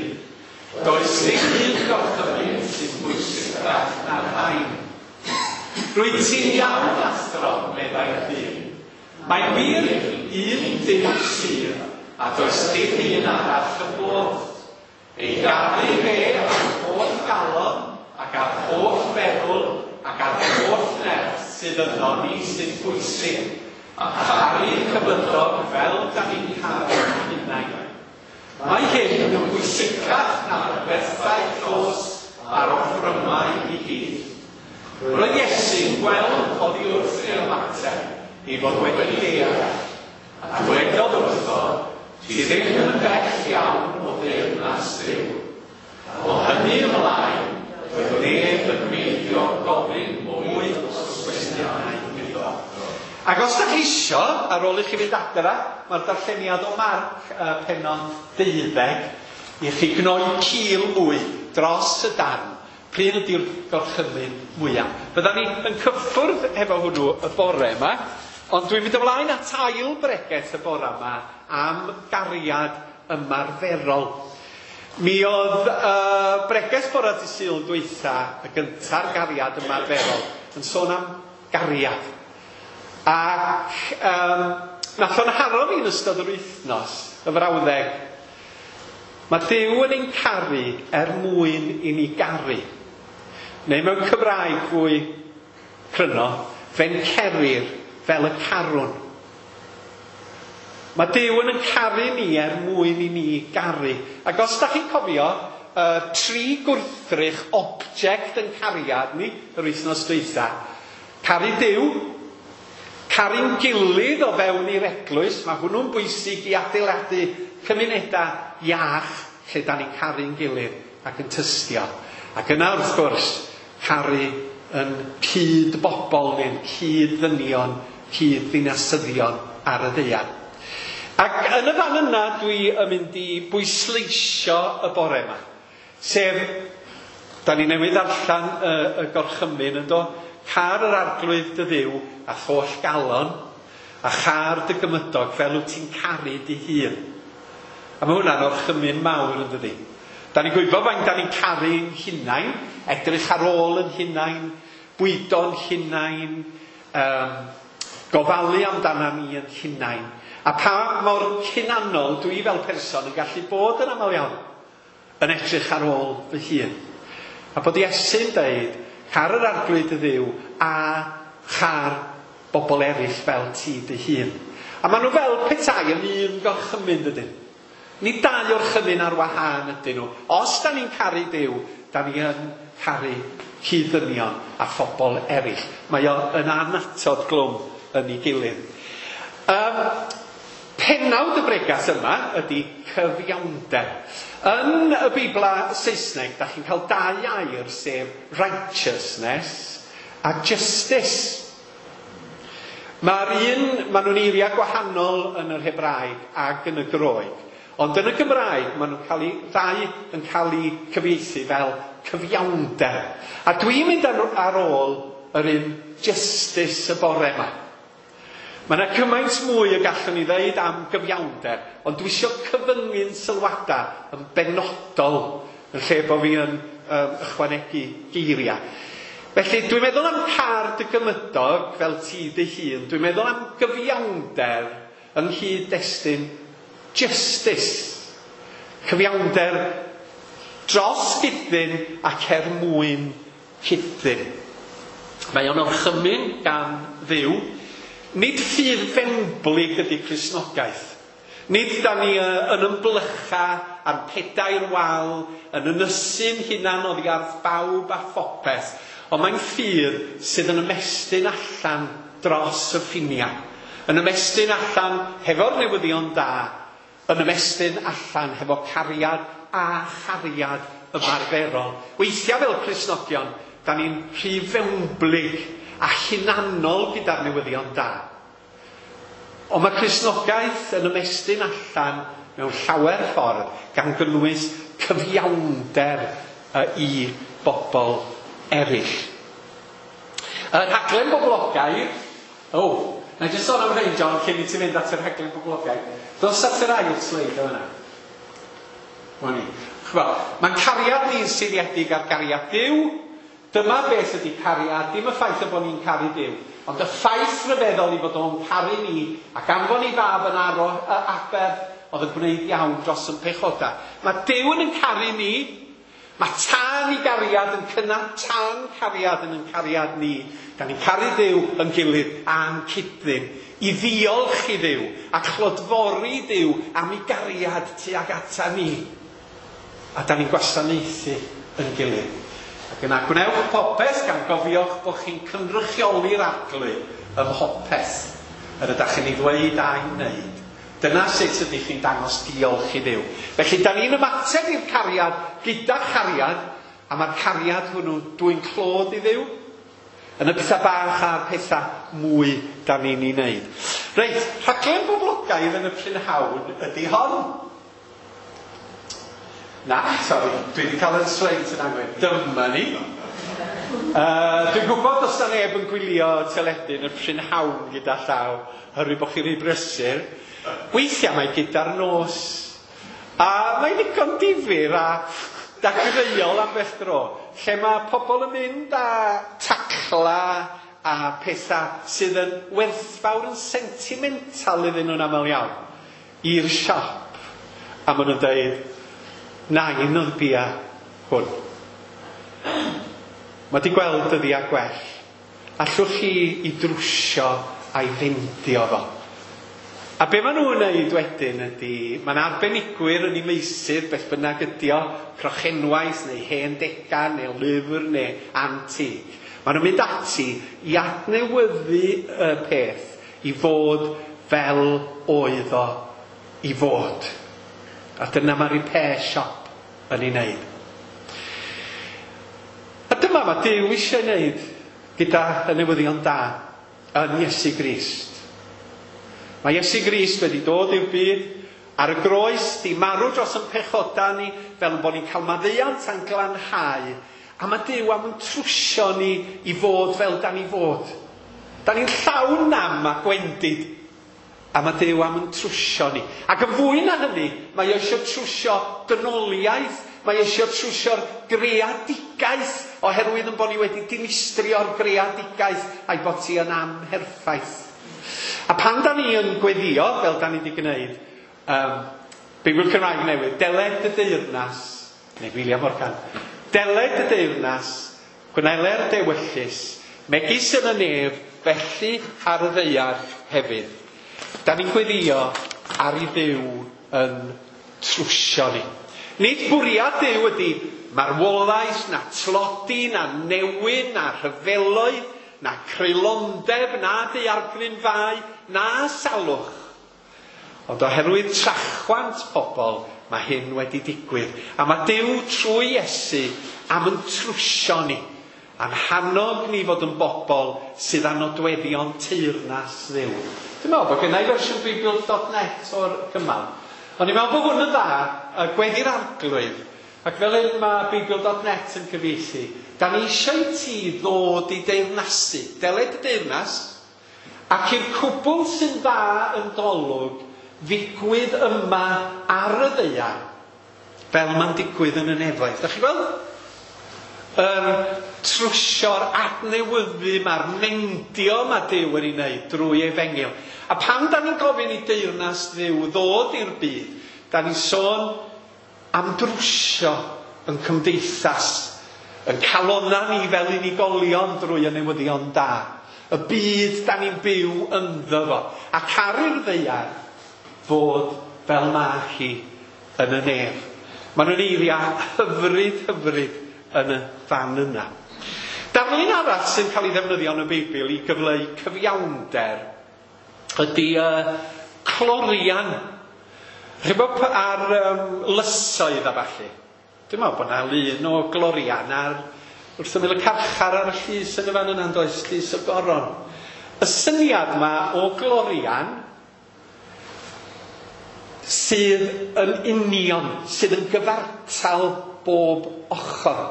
Does dim un gorchymyn sy'n bwysicach na'r rhain. Rwyt ti'n iawn, athro, meddai'r dyn. Mae'n wir un Duw sydd, a does dim un arall yn bod. Ei garu fe â'r holl galon, ac â'r holl feddwl, ac â'r holl nerth sydd yno ni sy'n bwysig, a charu cymydog fel da ni'n caru'n hunain. Mae hyn yn bwysicach na'r bethau llosg a'r offrymau i gyd. Roedd Iesu'n gweld oddi wrth ei ymateb ei fod wedi deall, a dwedodd wrtho, ti ddim yn bell iawn o deyrnas Dduw. O hynny ymlaen, roedd neb yn meiddio gofyn mwy o gwestiynau iddo. Ac os da chi isio, ar ôl i chi fynd adra, mae'r darlleniad o Marc uh, pennod deuddeg, i chi gnoi cil mwy dros y darn. Pryd ydy'r gorchymyn mwyaf? Fydda ni yn cyffwrdd efo hwnnw y bore yma, ond dwi'n mynd ymlaen at ail bregeth y bore yma am gariad ymarferol. Mi oedd uh, bregeth bore dydd Sul dwytha, y gynta'r gariad ymarferol, yn sôn am gariad. Ac um, nath o'n haro fi yn ystod yr wythnos, y frawddeg, mae Duw yn ein caru er mwyn i ni garu. Neu mewn Cymraeg fwy cryno, fe'n cerir fel y carwn. Mae Duw yn ein caru ni er mwyn i ni garu. Ac os da chi'n cofio, uh, tri gwrthrych object yn cariad ni yr wythnos dwytha. Caru Duw, caru'n gilydd o fewn i'r eglwys, mae hwnnw'n bwysig i adeiladu cymunedau iach lle da ni'n caru'n gilydd ac yn tystio. Ac yna wrth gwrs, caru yn cyd bobl neu'n cyd ddynion, cyd ddinasyddion ar y ddaear. Ac yn y fan yna dwi yn mynd i bwysleisio y bore yma. Sef, da ni newydd darllen y, y gorchymyn yn do, car yr Arglwydd dy Dduw a holl galon, a char dy gymydog fel wyt ti'n caru dy hun. A mae hwnna'n orchymyn mawr yn dydi. Da ni'n gwybod faint da ni'n caru'n hunain, edrych ar ôl yn hunain, bwydo'n hunain, um, gofalu amdana ni yn hunain. A pa mor hunanol dwi fel person yn gallu bod yn aml iawn yn edrych ar ôl fy hun. A bod Iesu'n deud, car yr Arglwydd dy Dduw a char bobl eraill fel ti dy hun. A maen nhw fel petai yn un gorchymyn dydyn. Nid dau orchymyn ar wahân ydyn nhw. Os da ni'n caru Duw, da ni yn caru cyd-ddynion a phobl eraill. Mae o yn annatod glwm yn ei gilydd. Um, penawd y bregas yma ydy cyfiawnder. Yn y Beibla Saesneg, da chi'n cael dau air, sef righteousness a justice. Mae'r un, maen nhw'n eiriau gwahanol yn yr Hebraeg ac yn y Groeg. Ond yn y Gymraeg, maen nhw'n cael eu, ddau yn cael eu cyfieithu fel cyfiawnder. A dwi'n mynd ar, ar ôl yr un justice y bore yma. Mae yna cymaint mwy y gallwn ni ddeud am gyfiawnder, ond dwi eisiau cyfyngu'n sylwadau yn benodol yn lle bod fi yn um, ychwanegu geiriau. Felly, dwi'n meddwl am car dy gymydog fel ti dy hun. Dwi'n meddwl am gyfiawnder yng nghyd-destun justice. Cyfiawnder dros gydyn ac er mwyn cydyn. Mae o'n orchymyn gan Dduw. Nid ffydd fewnblyg ydy Cristnogaeth. Nid da ni yn ymblycha ar pedair wal, yn ynysu'n hunan oddi ar bawb a phopeth, ond mae'n ffydd sydd yn ymestyn allan dros y ffiniau. Yn ymestyn allan hefo'r newyddion da, yn ymestyn allan hefo cariad a chariad ymarferol. Weithiau fel Cristnogion, da ni'n rhy fewnblyg a hunanol gyda'r newyddion da. Ond mae Cristnogaeth yn ymestyn allan mewn llawer ffordd gan gynnwys cyfiawnder i bobl eraill. Y rhaglen boblogaidd, o, oh, na i jyst sôn am rhain, John, cyn i ti fynd at y rhaglen boblogaidd. Dos at yr ail sleid o yna. Ni. Mae'n cariad ni'n seiliedig ar gariad Duw. Dyma beth ydy cariad, dim y ffaith y bod ni'n caru Duw, ond y ffaith rhyfeddol i fod o'n caru ni ac anfon i fab yn aro, aberth oedd yn gwneud iawn dros yn pechodau. Mae Duw yn caru ni, mae tân i gariad yn cynnal tân cariad yn yn cariad ni. Da ni'n caru Duw yn gilydd a'n cydyn, i ddiolch i Dduw a chlodfori Duw am ei gariad tuag ata ni. A da ni'n gwasanaethu yn gilydd. Ac yna gwnewch popeth gan gofiwch bod chi'n cynrychioli'r Arglwydd ym mhopeth yr ydych chi'n ei ddweud a'i wneud. Dyna sut ydych chi'n dangos diolch i Dduw. Felly, da ni'n ymateb i'r cariad gyda chariad, a mae'r cariad hwnnw dwyn clod i Dduw yn y pethau bach a'r pethau mwy da ni'n ei wneud. Reit, rhaglen boblogaidd yn y prynhawn ydy hon. Na, sori, dwi wedi cael yn sleid yn anghywir. Dyma ni. Uh, dwi'n gwybod os na neb yn gwylio teledu yn y prynhawn gyda llaw, oherwydd bod chi'n rhy brysur. Weithiau mae gyda'r nos. A mae'n ddigon difyr a dagreuol am beth dro, lle mae pobl yn mynd â tacla a pethau sydd yn werthfawr yn sentimental iddyn nhw'n aml iawn i'r siop. A maen nhw'n dweud, nain oedd bia hwn. Mae di gweld dyddiau gwell. Allwch chi i drwsio a'i fendio fo. A be maen nhw'n wneud wedyn ydy, mae'n arbenigwyr yn ei meysydd, beth bynnag ydi o, crochenwaith neu hen degan neu lyfr neu antig. Maen nhw'n mynd ati i adnewyddu y peth i fod fel oedd o i fod. A dyna mae'r repair shop yn ei wneud. A dyma mae Duw eisiau wneud gyda y newyddion da yn Iesu Grist. Mae Iesu Grist wedi dod i'r byd ar y groes, di marw dros yn pechodau ni, fel bod ni'n cael maddeuant a'n glanhau. A mae Duw am yn trwsio ni i fod fel da ni fod. Da ni'n llawn nam a gwendid. A mae Duw am yn trwsio ni. Ac yn fwy na hynny, mae eisiau trwsio dynoliaeth, mae eisiau trwsio'r greadigaeth, oherwydd yn bod ni wedi dinistrio'r greadigaeth a'i bod ti yn amherffaith. A pan da ni yn gweddio, fel da ni wedi gwneud, um, Beibl Cymraeg newydd, deled y deyrnas, neu William Morgan, deled y deyrnas, gwneler dewyllys, megis yn y nef, felly ar y ddaear hefyd. Da ni'n gweddio ar i Dduw yn trwsio ni. Nid bwriad Duw ydy marwolaeth, na tlodi, na newyn, na rhyfeloedd, na creulondeb, na daeargrynfâu, na salwch. Ond oherwydd trachwant pobl, mae hyn wedi digwydd. A mae Duw trwy Iesu am yn trwsio ni, a'n hannog ni fod yn bobl sydd â nodweddion teyrnas Dduw. Dwi'n meddwl bod gennai fersiwn Beibl dot net o'r cymal. O'n i'n meddwl bod hwn yn dda, y gweddi'r Arglwydd, ac fel hyn mae Beibl dot net yn cyfieithu, da ni eisiau i ti ddod i deyrnasu, deled y deyrnas, ac i'r cwbl sy'n dda yn dolwg ddigwydd yma ar y ddaear, fel mae'n digwydd yn y nefoedd. Da chi gweld? Yr trwsio'r adnewyddu ma'r mendio mae Duw yn ei wneud drwy efengyl. A pan da ni'n gofyn i deyrnas Dduw ddod i'r byd, da ni'n sôn am drwsio yn cymdeithas, yn calonna ni fel unigolion drwy y newyddion da. Y byd da ni'n byw ynddo fo. A caru'r ddaear fod fel ma hi yn y nef. Maen nhw'n eiriau hyfryd, hyfryd yn y fan yna. Darlun arall sy'n cael ei ddefnyddio yn y Beibl i gyfleu cyfiawnder ydy uh, clorian. Chi'n bod ar um, lysoedd a falle. Dwi'n meddwl bod yna lun o glorian ar wrth ymyl y carchar ar y llys yn y fan yna'n does, llys y goron. Y syniad yma o glorian sydd yn union, sydd yn gyfartal bob ochr.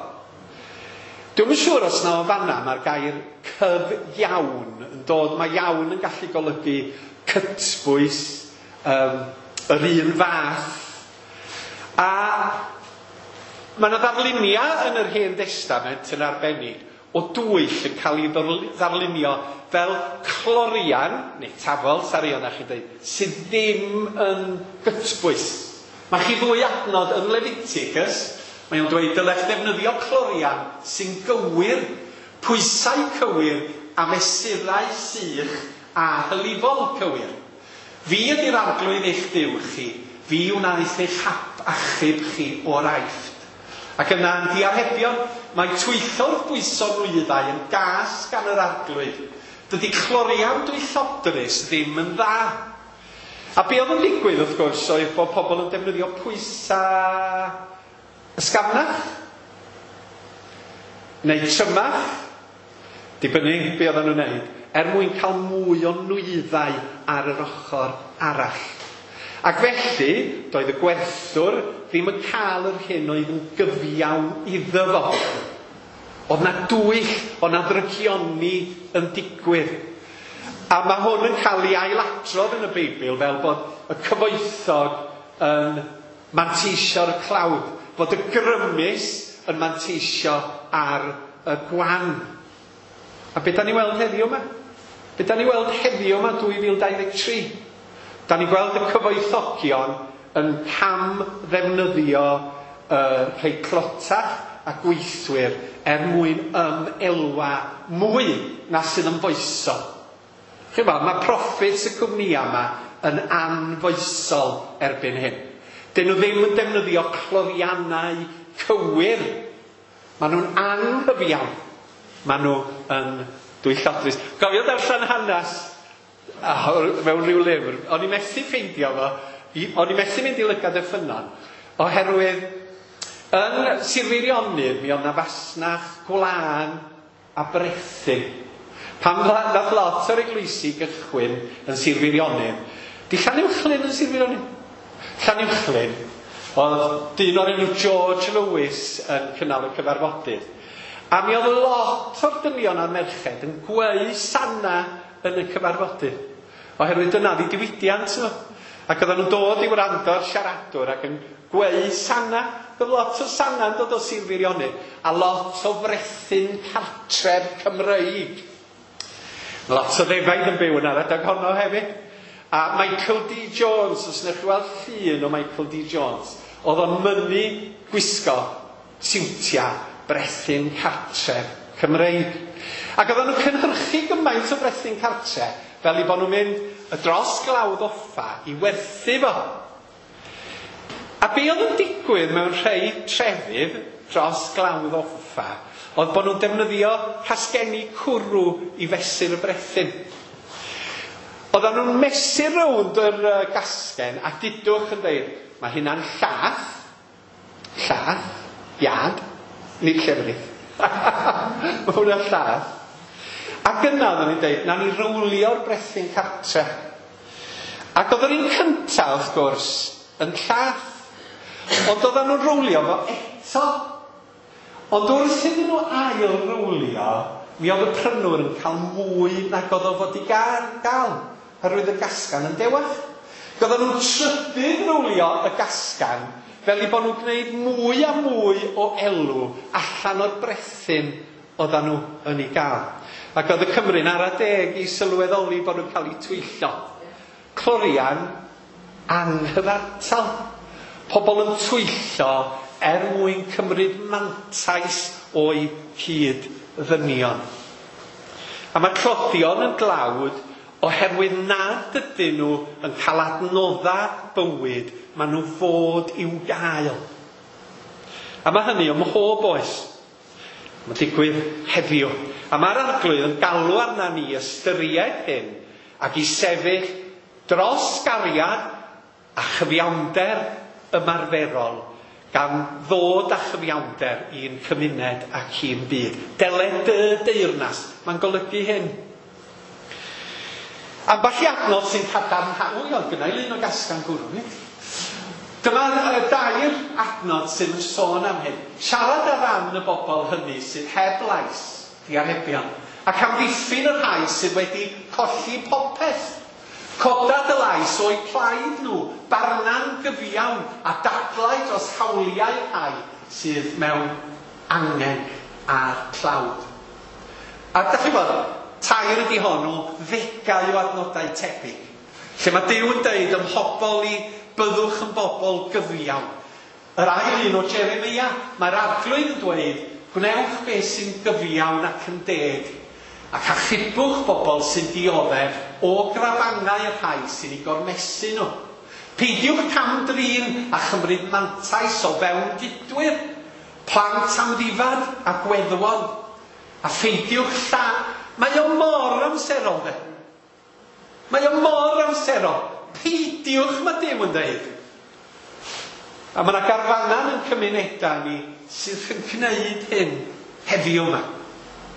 Dwi'm yn siŵr os na o fanna mae'r gair cyfiawn yn dod. Mae iawn yn gallu golygu cytbwys, um, yr un fath. A mae yna ddarluniau yn yr Hen Destament yn arbennig o dwyll yn cael ei ddarlunio fel clorian, neu tafol, sori o'na chi'n dweud, sydd ddim yn gytbwys. Mae chi ddwy adnod yn Leviticus. Mae o'n dweud dylech ddefnyddio clorian sy'n gywir, pwysau cywir a mesurau sych a hylifol cywir. Fi ydy'r Arglwydd eich Duw chi, fi wnaeth eich hap achub chi o'r Aifft. Ac yna yn diarhebion, mae twyllwr bwyso nwyddau yn gas gan yr Arglwydd. Dydy clorian dwyllodrus ddim yn dda. A be oedd yn digwydd wrth gwrs oedd bod pobl yn defnyddio pwysau ysgafnach neu trymach, dibynnu be oedden nhw'n wneud, er mwyn cael mwy o nwyddau ar yr ochr arall. Ac felly, doedd y gwerthwr ddim yn cael yr hyn oedd yn gyfiawn iddo fo. Oedd na dwyll, oedd na ddrygioni yn digwydd. A mae hwn yn cael ei ailadrodd yn y Beibl fel bod y cyfoethog yn manteisio'r clawd, bod y grymus yn manteisio ar y gwan. A be da ni weld heddiw yma? Be da ni weld heddiw yma dwy fil dau ddeg tri? Da ni gweld y cyfoethogion yn cam ddefnyddio uh, rhai clotach a gweithwyr er mwyn ymelwa mwy na sydd yn foesol. Chi'n gweld, mae profits y cwmnïau yma yn anfoesol erbyn hyn. Dyn nhw ddim yn defnyddio cloriannau cywir. Maen nhw'n anghyfiawn. Maen nhw yn dwyllodrus. Gofio darllen hanes mewn rhyw lyfr. O'n i methu ffeindio fo. O'n i methu mynd i lygad y ffynnon. Oherwydd yn Sir Feirionnydd mi oedd 'na fasnach gwlân a brethyn. Pan nath lot o'r eglwysi gychwyn yn Sir Feirionnydd. Di Llanuwchllyn yn Sir Feirionnydd? Llanuwchllyn, oedd dyn o'r enw George Lewis yn cynnal y cyfarfodydd. A mi oedd lot o'r dynion a'r merched yn gweu sana yn y cyfarfodydd. Oherwydd dyna ddi diwydiant nhw. Ac oedden nhw'n dod i wrando ar siaradwr ac yn gweu sana. Oedd lot o sana yn dod o Sir Feirionnydd. A lot o frethyn cartref Cymreig. Lot o ddefaid yn byw yn ar adeg honno hefyd. A Michael D. Jones, os wnewch chi weld llun o Michael D. Jones, oedd o'n mynnu gwisgo siwtia brethyn cartref Cymreig. Ac oedden nhw'n cynhyrchu gymaint o brethyn cartref fel i bod nhw'n mynd y dros Glawdd Offa i werthu fo. A be oedd yn digwydd mewn rhai trefydd dros Glawdd Offa oedd bod nhw'n defnyddio casgenni cwrw i fesur y brethyn. Oedden nhw'n mesur rownd yr gasgen a dudwch yn dweud, mae hynna'n llath, llath, iad, nid llefrith. Mae hwnna'n llath. Ac yna oedden ni'n dweud, nawn ni rowlio'r brethyn cartre. Ac oedd yr un cyntaf, wrth gwrs, yn llath. Ond oedden nhw'n rowlio fo eto. Ond wrth iddyn nhw ail rowlio, mi oedd y prynwr yn cael mwy nag oedd o fod i gael, gael oherwydd y gasgan yn dewach. Oedden nhw'n trydydd rowlio y gasgan fel i bod nhw'n gwneud mwy a mwy o elw allan o'r brethyn oedden nhw yn ei gael. Ac oedd y Cymru'n ara deg i sylweddoli bod nhw'n cael eu twyllo. Clorian anghyfartal. Pobl yn twyllo er mwyn cymryd mantais o'i cyd ddynion. A mae tlodion yn dlawd oherwydd nad ydyn nhw yn cael adnoddau bywyd, maen nhw fod i'w gael. A mae hynny ym mhob oes. Mae'n digwydd heddiw. A mae'r Arglwydd yn galw arna ni ystyried hyn ac i sefyll dros gariad a chyfiawnder ymarferol, gan ddod â chyfiawnder i'n cymuned ac i'n byd. Deled dy deyrnas, mae'n golygu hyn. Ambell i adnod sy'n cadarnhau, o, gynna i lun o gasgan gwrw, nid? Dyma dair adnod sy'n sôn am hyn. Siarad ar ran y bobl hynny sydd heb lais, diarhebion, ac amddiffyn y rhai sydd wedi colli popeth. Coda dy lais o'u plaid nhw, barna'n gyfiawn a dadlau dros hawliau rhai sydd mewn angen a'r tlawd. A dach chi'n gwybod, tair ydi hon o ddegau o adnodau tebyg, lle mae Duw yn deud ym mhobl i byddwch yn bobl gyfiawn. Yr ail un o Jeremia, mae'r Arglwydd yn dweud, gwnewch beth sy'n gyfiawn ac yn deg, ac achubwch bobl sy'n dioddef o grafangau y rhai sy'n eu gormesu nhw. Peidiwch cam-drin a chymryd mantais o fewn gydwyr, plant amddifad a gweddwon, a pheidiwch lla. Mae o mor amserol, de. Mae o mor amserol. Peidiwch, mae Duw yn dweud. A mae yna garfanau yn cymunedau ni sydd yn gwneud hyn heddiw yma.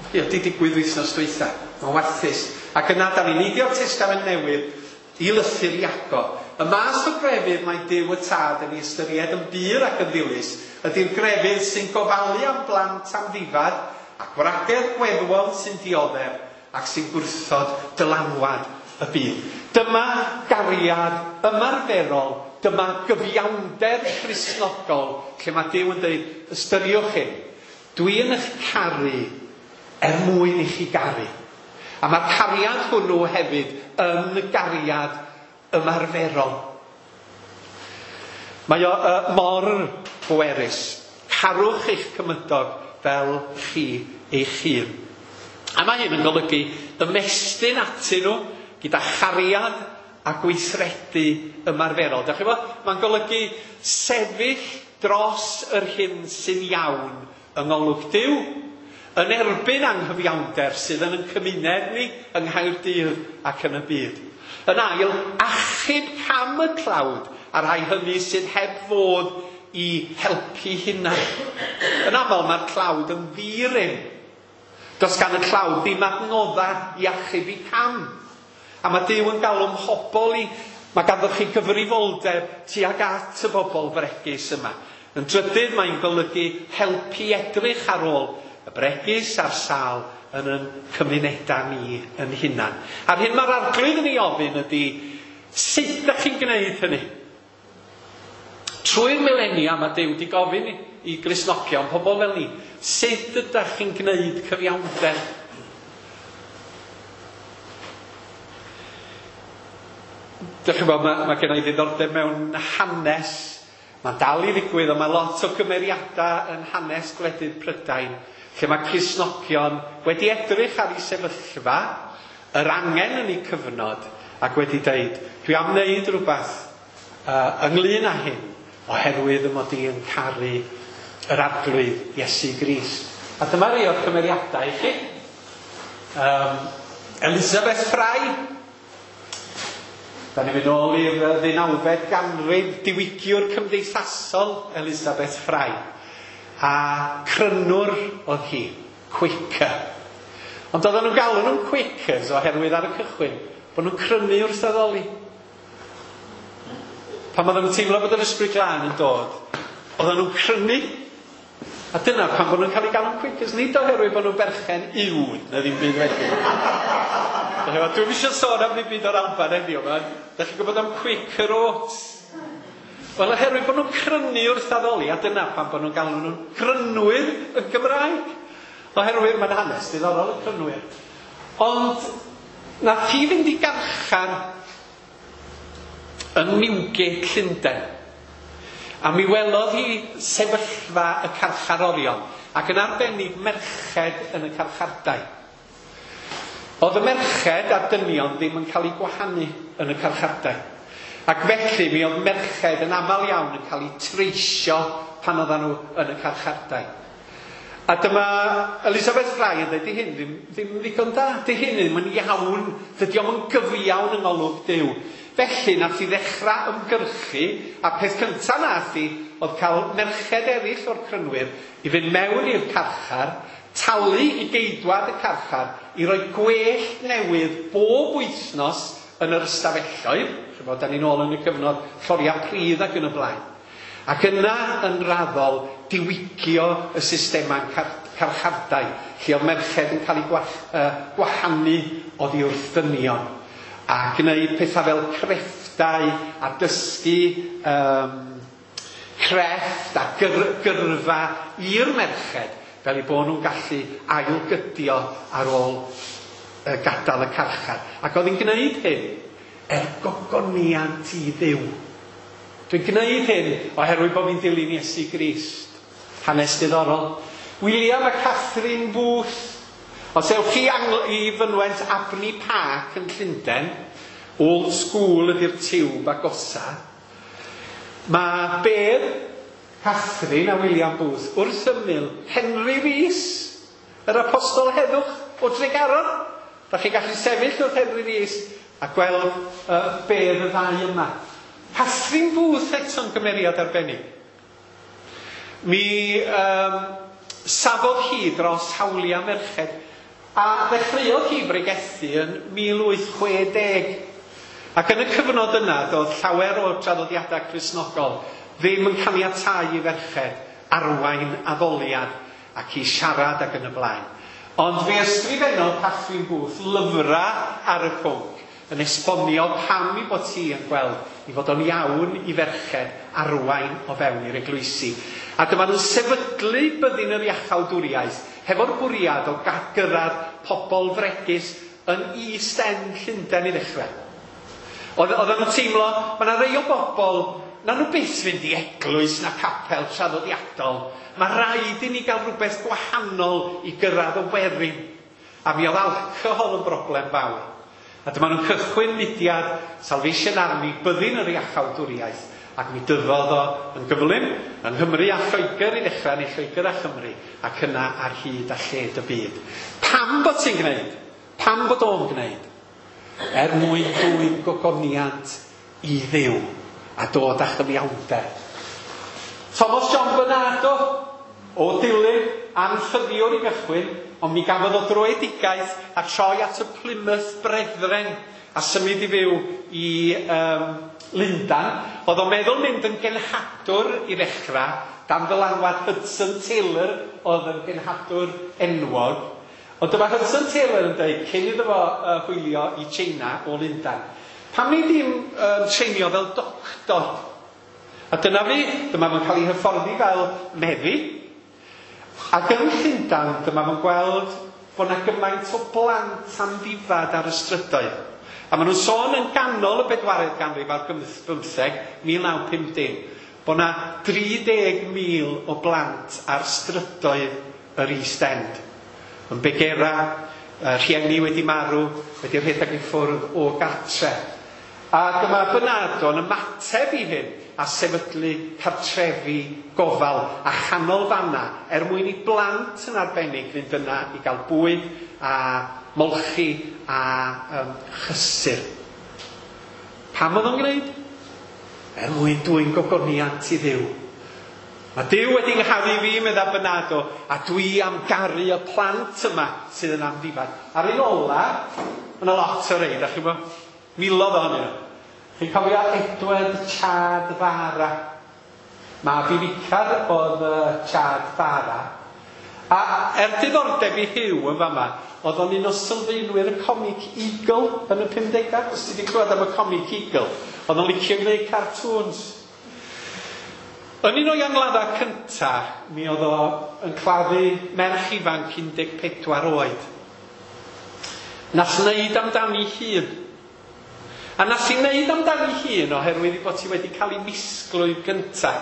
Mae o wedi digwydd wythnos dwytha. Mae'n warthus. Ac yna, da ni'n neidio'r Testament Newydd i lythyr Iago. Y math o grefydd mae Duw y Tad yn ei ystyried yn bur ac yn ddilys ydy'r grefydd sy'n gofalu am blant amddifad a gwragedd gweddwon sy'n dioddef ac sy'n gwrthod dylanwad y byd. Dyma gariad ymarferol, dyma gyfiawnder Cristnogol, lle mae Duw yn dweud, ystyriwch hyn, dwi yn eich caru er mwyn i chi garu. A mae'r cariad hwnnw hefyd yn gariad ymarferol. Mae o uh, mor bwerus. Carwch eich cymydog fel chi eich hun. A mae hyn yn golygu ymestyn atyn nhw gyda chariad a gweithredu ymarferol. Dach chi'n gwybod? Mae'n golygu sefyll dros yr hyn sy'n iawn yng ngolwg Duw, yn erbyn anghyfiawnder sydd yn ein cymuned ni yng Nghaerdydd ac yn y byd. Yn ail, achub cam y tlawd a rhai hynny sydd heb fod i helpu hunain. Yn aml mae'r tlawd yn ddi-rym. Does gan y tlawd ddim adnoddau i achub i cam. A mae Duw yn galw mhobl i, mae ganddo chi gyfrifoldeb tuag at y bobl fregus yma. Yn drydydd, mae'n golygu helpu edrych ar ôl y bregus a'r sâl yn ein cymunedau ni yn hunan. A'r hyn mae'r Arglwydd yn ei ofyn ydy, sut ydych chi'n gwneud hynny? Trwy'r milenia mae Duw wedi gofyn i Gristnogion, pobl fel ni, sut ydych chi'n gwneud cyfiawnder? Dych chi'n gwybod, mae, mae gen i ddiddordeb mewn hanes. Mae'n dal i ddigwydd, ond mae lot o gymeriadau yn hanes gwledydd Prydain, lle mae Cristnogion wedi edrych ar eu sefyllfa, yr angen yn eu cyfnod, ac wedi dweud, dwi am wneud rhywbeth uh, ynglyn â hyn, oherwydd y mod i yn caru yr Arglwydd Iesu Grist. A dyma rei o'r cymeriadau i chi. Um, Elizabeth Fry. Da ni'n mynd ôl i'r ddeunawfed ganrif, diwygiwr cymdeithasol Elizabeth Fry. A crynwr oedd hi, Quaker. Ond oedden nhw'n galw nhw'n Quakers oherwydd ar y cychwyn bod nhw'n crynu wrth addoli. Pan oedden nhw'n teimlo bod yr Ysbryd Glân yn dod, oedden nhw'n crynu. A dyna pan bod nhw'n cael eu galw'n Quakers, nid oherwydd bod nhw'n berchen uwd na ddim byd wedyn. Dwi'm eisiau sôn am ddim byd o'r Alban heddiw yma. Da chi'n gwybod am Quaker Oats? Wel, oherwydd bod nhw'n crynu wrth addoli, a dyna pan bod nhw'n galw nhw'n crynwyr yn Gymraeg. Oherwydd mae'n hanes diddorol y crynwyr. Ond nath hi fynd i garchar yn Newgate, Llundain. A mi welodd hi sefyllfa y carcharorion, ac yn arbennig merched yn y carchardai. Oedd y merched a'r dynion ddim yn cael eu gwahanu yn y carchardai. Ac felly mi oedd merched yn aml iawn yn cael eu treisio pan oedden nhw yn y carchardai. A dyma Elizabeth Fry yn dweud, di hyn ddim, ddim ddigon da, di hyn ddim yn iawn, dydy o'm yn gyfiawn yng ngolwg Duw. Felly nath hi ddechrau ymgyrchu, a peth cyntaf nath hi oedd cael merched eraill o'r crynwyr i fynd mewn i'r carchar, talu i geidwad y carchar, i roi gwellt newydd bob wythnos yn yr ystafelloedd, ch'mod, da ni'n ôl yn y cyfnod lloriau pridd ac yn y blaen. Ac yna yn raddol diwygio y systemau'n carchardai, lle oedd merched yn cael eu gwahanu oddi wrth ddynion. A gwneud pethau fel crefftau a dysgu um, crefft a gyr, gyrfa i'r merched, fel eu bod nhw'n gallu ailgydio ar ôl uh, gadael y carchar. Ac oedd hi'n gwneud hyn er gogoniant i Dduw. Dwi'n gwneud hyn oherwydd bod fi'n dilyn Iesu Grist. Hanes diddorol. William a Catherine Booth. Os ewch chi i fynwent Abney Park yn Llundain, old school ydy'r tiwb agosa, mae bedd Catherine a William Booth wrth ymyl Henry Rees, yr apostol heddwch o Dregaron. Da chi'n gallu sefyll wrth Henry Rees a gweld uh, bedd y ddau yma. Catherine Booth eto'n gymeriad arbennig. Mi um, safodd hi dros hawliau merched, a ddechreuodd hi bregethu yn mil wyth chwe deg. Ac yn y cyfnod yna, doedd llawer o traddodiadau Cristnogol ddim yn caniatáu i ferched arwain addoliad ac i siarad ac yn y blaen. Ond fe ysgrifennodd Catherine Booth lyfrau ar y pwnc yn esbonio pam i bod hi yn gweld i fod o'n iawn i ferched arwain o fewn i'r eglwysi. A dyma nhw'n sefydlu byddin yr iachawdwriaeth hefo'r bwriad o gyrraedd pobl fregus yn East End Llundain i ddechrau. Oedden nhw'n teimlo, mae yna rei o bobl, na nhw byth fynd i eglwys na capel traddodiadol. Mae rhaid i ni gael rhywbeth gwahanol i gyrraedd y werin. A mi oedd alcohol yn broblem fawr. A dyma nhw'n cychwyn mudiad Salvation Army, byddin yr iachawdwriaeth, ac mi dyfodd o yn gyflym yng Nghymru a Lloegr i ddechrau, neu Lloegr a Chymru, ac yna ar hyd a lled y byd. Pam bod ti'n gwneud? Pam bod o'n gwneud? Er mwyn dwyn gogoniant i Dduw a dod â chyfiawnder. Thomas John Bernardo o Dulyn, anffyddiwr i gychwyn, ond mi gafodd o dröedigaeth a troi at y Plymouth Brethren a symud i fyw i um, Lundain. Oedd o'n meddwl mynd yn genhadwr i ddechrau, dan ddylanwad Hudson Taylor oedd yn genhadwr enwog. Ond dyma Hudson Taylor yn dweud, cyn iddo fo uh, hwylio i China o Lundain, pam ni ddim uh, treinio fel doctor? A dyna fi, dyma fo'n cael ei hyfforddi fel meddyg. Ac yn Llundain, dyma fo'n gweld bod yna gymaint o blant amddifad ar y strydoedd. A maen nhw'n sôn yn ganol y bedwaredd ganrif ar bymtheg, mil naw pump dim, bod yna dri deg mil o blant ar strydoedd yr East End. Yn begera, rhieni wedi marw, wedi rhedeg i ffwrdd o gartre. A dyma Bernardo'n ymateb i hyn a sefydlu cartrefi gofal a chanolfanna er mwyn i blant yn arbennig fynd yna i gael bwyd a molchi a um, chysur. Pam oedd o'n gwneud? Er mwyn dwyn gogoniant i Dduw. Mae Duw wedi ngharu fi, medda Bernardo, a dwi am garu y plant yma sydd yn amddifad. A'r un ola, mae yna lot o rei, da chi'n gwybod? Miloedd ohonyn nhw. Chi'n cofio Edward Chad Varah? Mab i ficar oedd Chad Varah. A er diddordeb i Hugh yn fama, oedd o'n un o sylfaenwyr y Comic Eagle yn y pumdegau. Os ti wedi clywed am y Comic Eagle, oedd o'n licio gwneud cartoons. Yn un o'i angladdau cynta, mi oedd o yn claddu merch ifanc un deg pedwar oed. Nath wneud amdani hun. A nath i wneud amdani hun oherwydd ei bod hi wedi cael ei misglwyf gynta.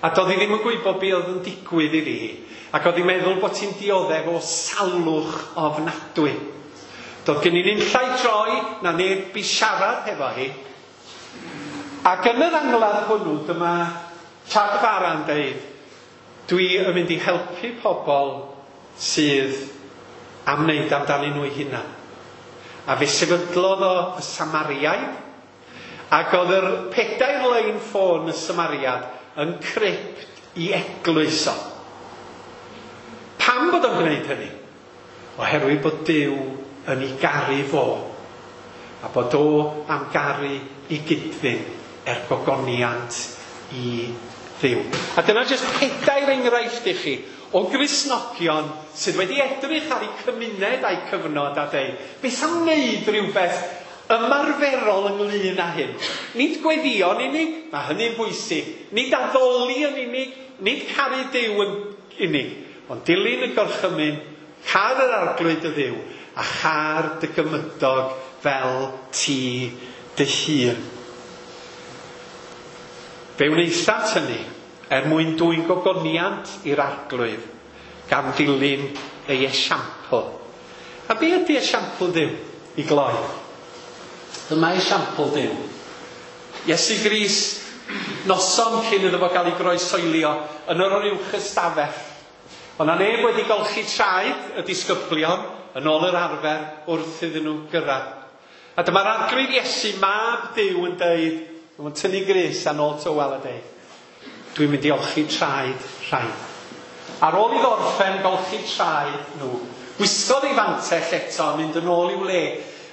A doedd hi ddim yn gwybod be oedd yn digwydd iddi hi. Ac oedd hi'n meddwl bod hi'n dioddef o salwch ofnadwy. Doedd gen i ddim llai droi na neb i siarad hefo hi. Ac yn yr angladd hwnnw, dyma Chad Varah yn deud, dwi yn mynd i helpu pobl sydd am wneud amdanyn nhw eu hunan. A fe sefydlodd o y Samariaid, ac oedd yr pedair lein ffôn y Samariad yn crypt i eglwys o. Pam bod o'n gwneud hynny? Oherwydd bod Duw yn ei garu fo, a bod o am garu i gydfyn er gogoniant i Dduw. A dyna jyst pedair enghraifft i chi o Gristnogion sydd wedi edrych ar eu cymuned a'u cyfnod a deud, beth am wneud rhywbeth ymarferol ynglyn â hyn? Nid gweddïo'n unig, mae hynny'n bwysig. Nid addoli yn unig, nid caru Duw yn unig, ond dilyn y gorchymyn, car yr arglwydd y Dduw, a char dy gymydog fel ti dy hun. Fe wnaethant hynny er mwyn dwyn gogoniant i'r arglwydd, gan ddilyn ei esiampl. A be ydy esiampl Duw i gloi? Dyma esiampl Duw. Iesu Grist, noson cyn iddo fo gael ei groesoelio yn yr uwch ystafell. Ond na neb wedi golchi traed y disgyblion yn ôl yr arfer wrth iddyn nhw gyrraedd. A dyma'r arglwydd Iesu, mab Duw, yn deud, mae'n tynnu grys a nôl tywel a deud, dwi'n mynd i olchi traed rhain. Ar ôl i ddorffen golchi traed nhw, gwisgodd ei fantell eto a mynd yn ôl i'w le.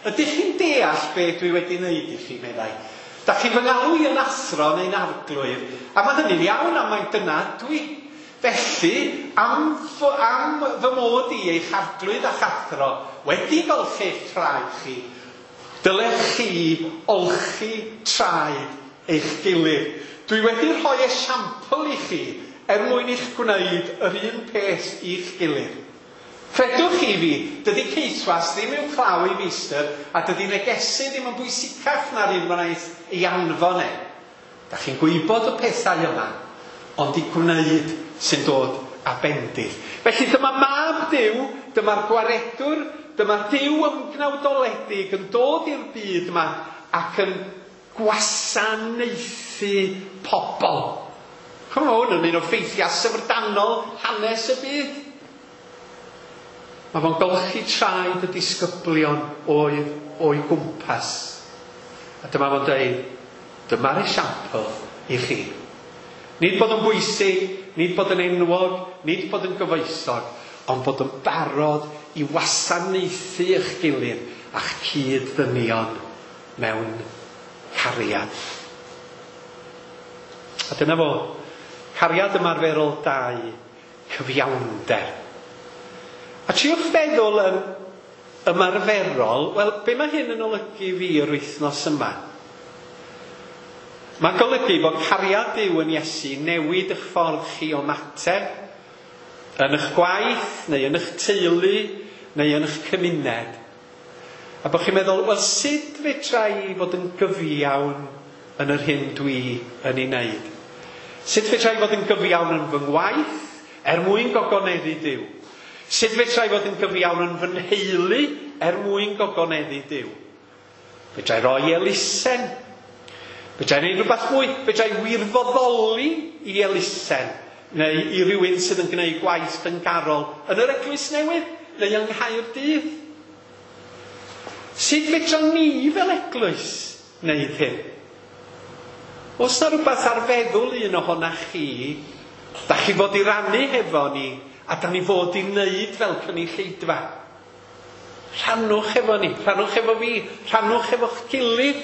Ydych chi'n deall be dwi wedi wneud i chi, meddai? Da chi'n fy ngalw i yn athro neu'n arglwydd, a mae hynny'n iawn am mai dyna dwi. Felly, am, am fy mod i eich arglwydd a'ch athro wedi golchi eich traed chi, dylech chi olchi traed eich gilydd. Dwi wedi rhoi esiampl i chi er mwyn i'ch gwneud yr un peth i'ch gilydd. Credwch chi fi, dydy ceithwas ddim i'w claw i feistr, a dydy negesu ddim yn bwysicach na'r un wnaeth ei anfon e. Da chi'n gwybod y pethau yma, ond i gwneud sy'n dod â bendith. Felly dyma mab Duw, dyma'r gwaredwr, dyma Duw ymgnawdoledig yn dod i'r byd yma ac yn gwasanaethu pobl. Chymod, hwn yn un o ffeithiau syfrdanol hanes y byd. Mae fo'n golchi traed y disgyblion oedd o'i gwmpas. A dyma fo'n dweud, dyma'r esiampl i chi. Nid bod yn bwysig, nid bod yn enwog, nid bod yn gyfoethog, ond bod yn barod i wasanaethu eich gilydd a'ch cyd-ddynion mewn cariad. A dyna fo, cariad ymarferol dau, cyfiawnder. A triwch feddwl yn ymarferol, wel, be mae hyn yn olygu fi yr wythnos yma? Mae'n golygu bod cariad Duw yn Iesu newid eich ffordd chi o ymateb, yn eich gwaith, neu yn eich teulu, neu yn eich cymuned. A bod chi'n meddwl, wel, sut fedra i fod yn gyfiawn yn yr hyn dwi yn ei wneud? Sut fedra i fod yn gyfiawn yn fy ngwaith er mwyn gogoneddu Duw? Sut fedra i fod yn gyfiawn yn fy nheulu er mwyn gogoneddu Duw? Fedra i roi elusen? Fedra i wneud rhywbeth mwy? Fedra i wirfoddoli i elusen? Neu i rywun sydd yn gwneud gwaith dyngarol yn yr Eglwys Newydd neu yng Nghaerdydd? Sut fedra ni fel eglwys wneud hyn? Oes na rhywbeth ar feddwl un ohonach chi, da chi fod i rannu hefo ni, a da ni fod i wneud fel cynulleidfa? Rhannwch efo ni, rhannwch efo fi, rhannwch efo'ch gilydd.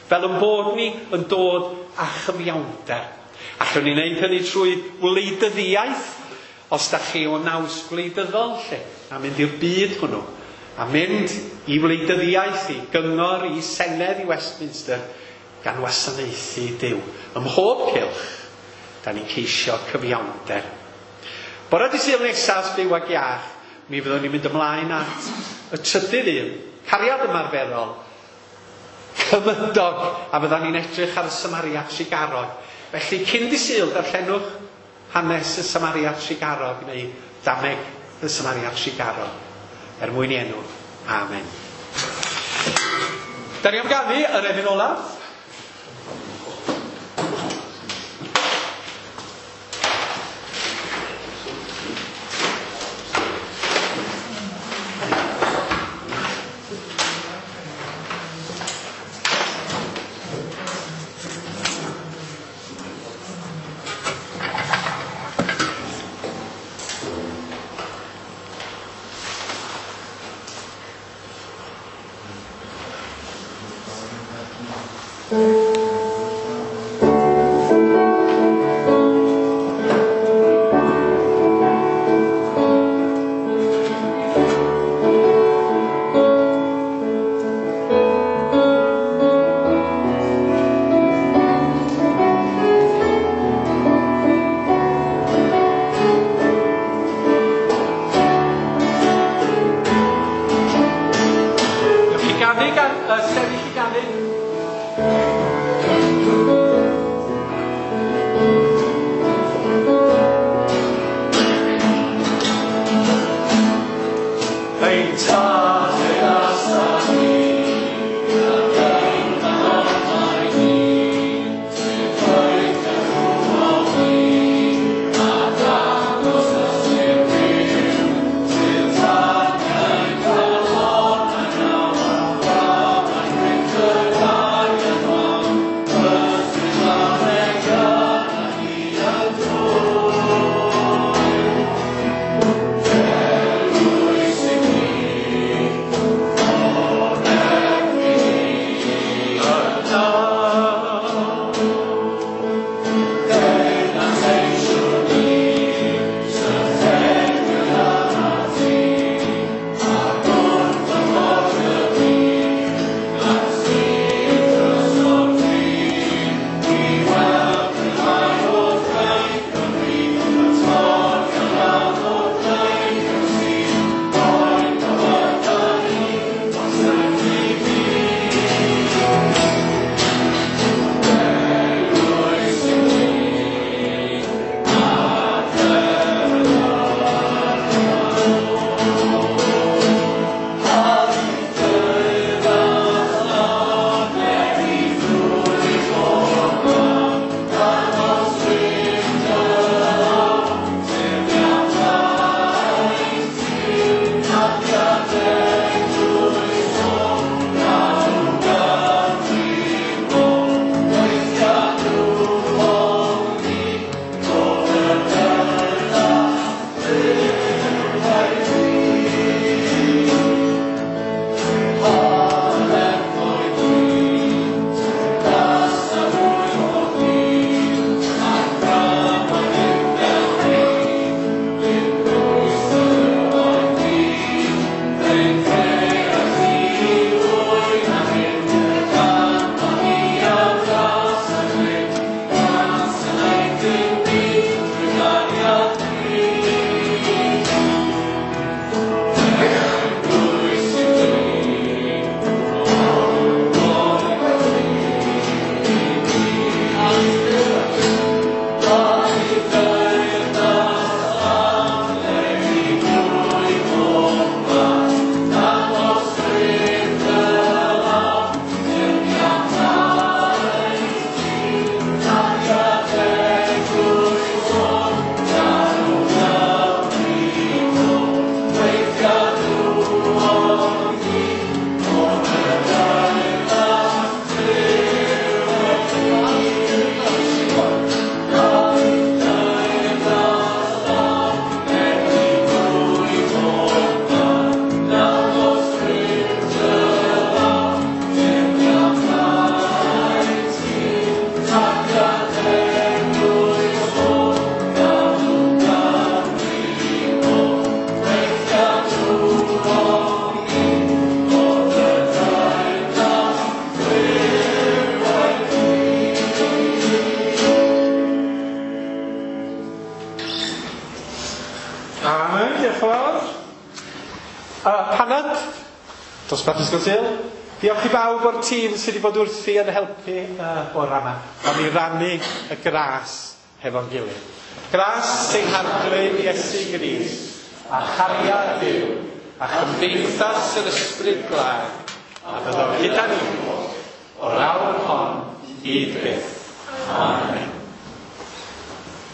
Fel yn bod ni yn dod â chyfiawnder. Allwn ni wneud hynny trwy wleidyddiaeth, os da chi o naws gwleidyddol lle, a mynd i'r byd hwnnw, a mynd i wleidyddiaeth, i gyngor, i senedd, i Westminster, gan wasanaethu Duw. Ym mhob cylch, da ni'n ceisio cyfiawnder. Bore dydd Sul nesaf, byw ag iach, mi fyddwn ni'n mynd ymlaen at y trydydd un, cariad ymarferol, cymydog, a fyddwn ni'n edrych ar y Samaria Trugarog. Felly, cyn dydd Sul, darllenwch hanes y Samaria Trugarog neu dameg y Samaria Trugarog. Er mwyn i enw. Amen. Da ni am ganu yr emyn olaf. Amen, diolch yn fawr. Uh, panad, dosbarth Ysgol Sul. Diolch i bawb o'r tîm sydd wedi bod wrthi yn helpu uh, bore yma. Am i rannu y gras hefo'n gilydd. Gras ein Harglwydd Iesu Grist, a chariad Duw, a chymdeithas yr Ysbryd Glân, a fyddo gyda ni o'r awr hon hyd byth. Amen.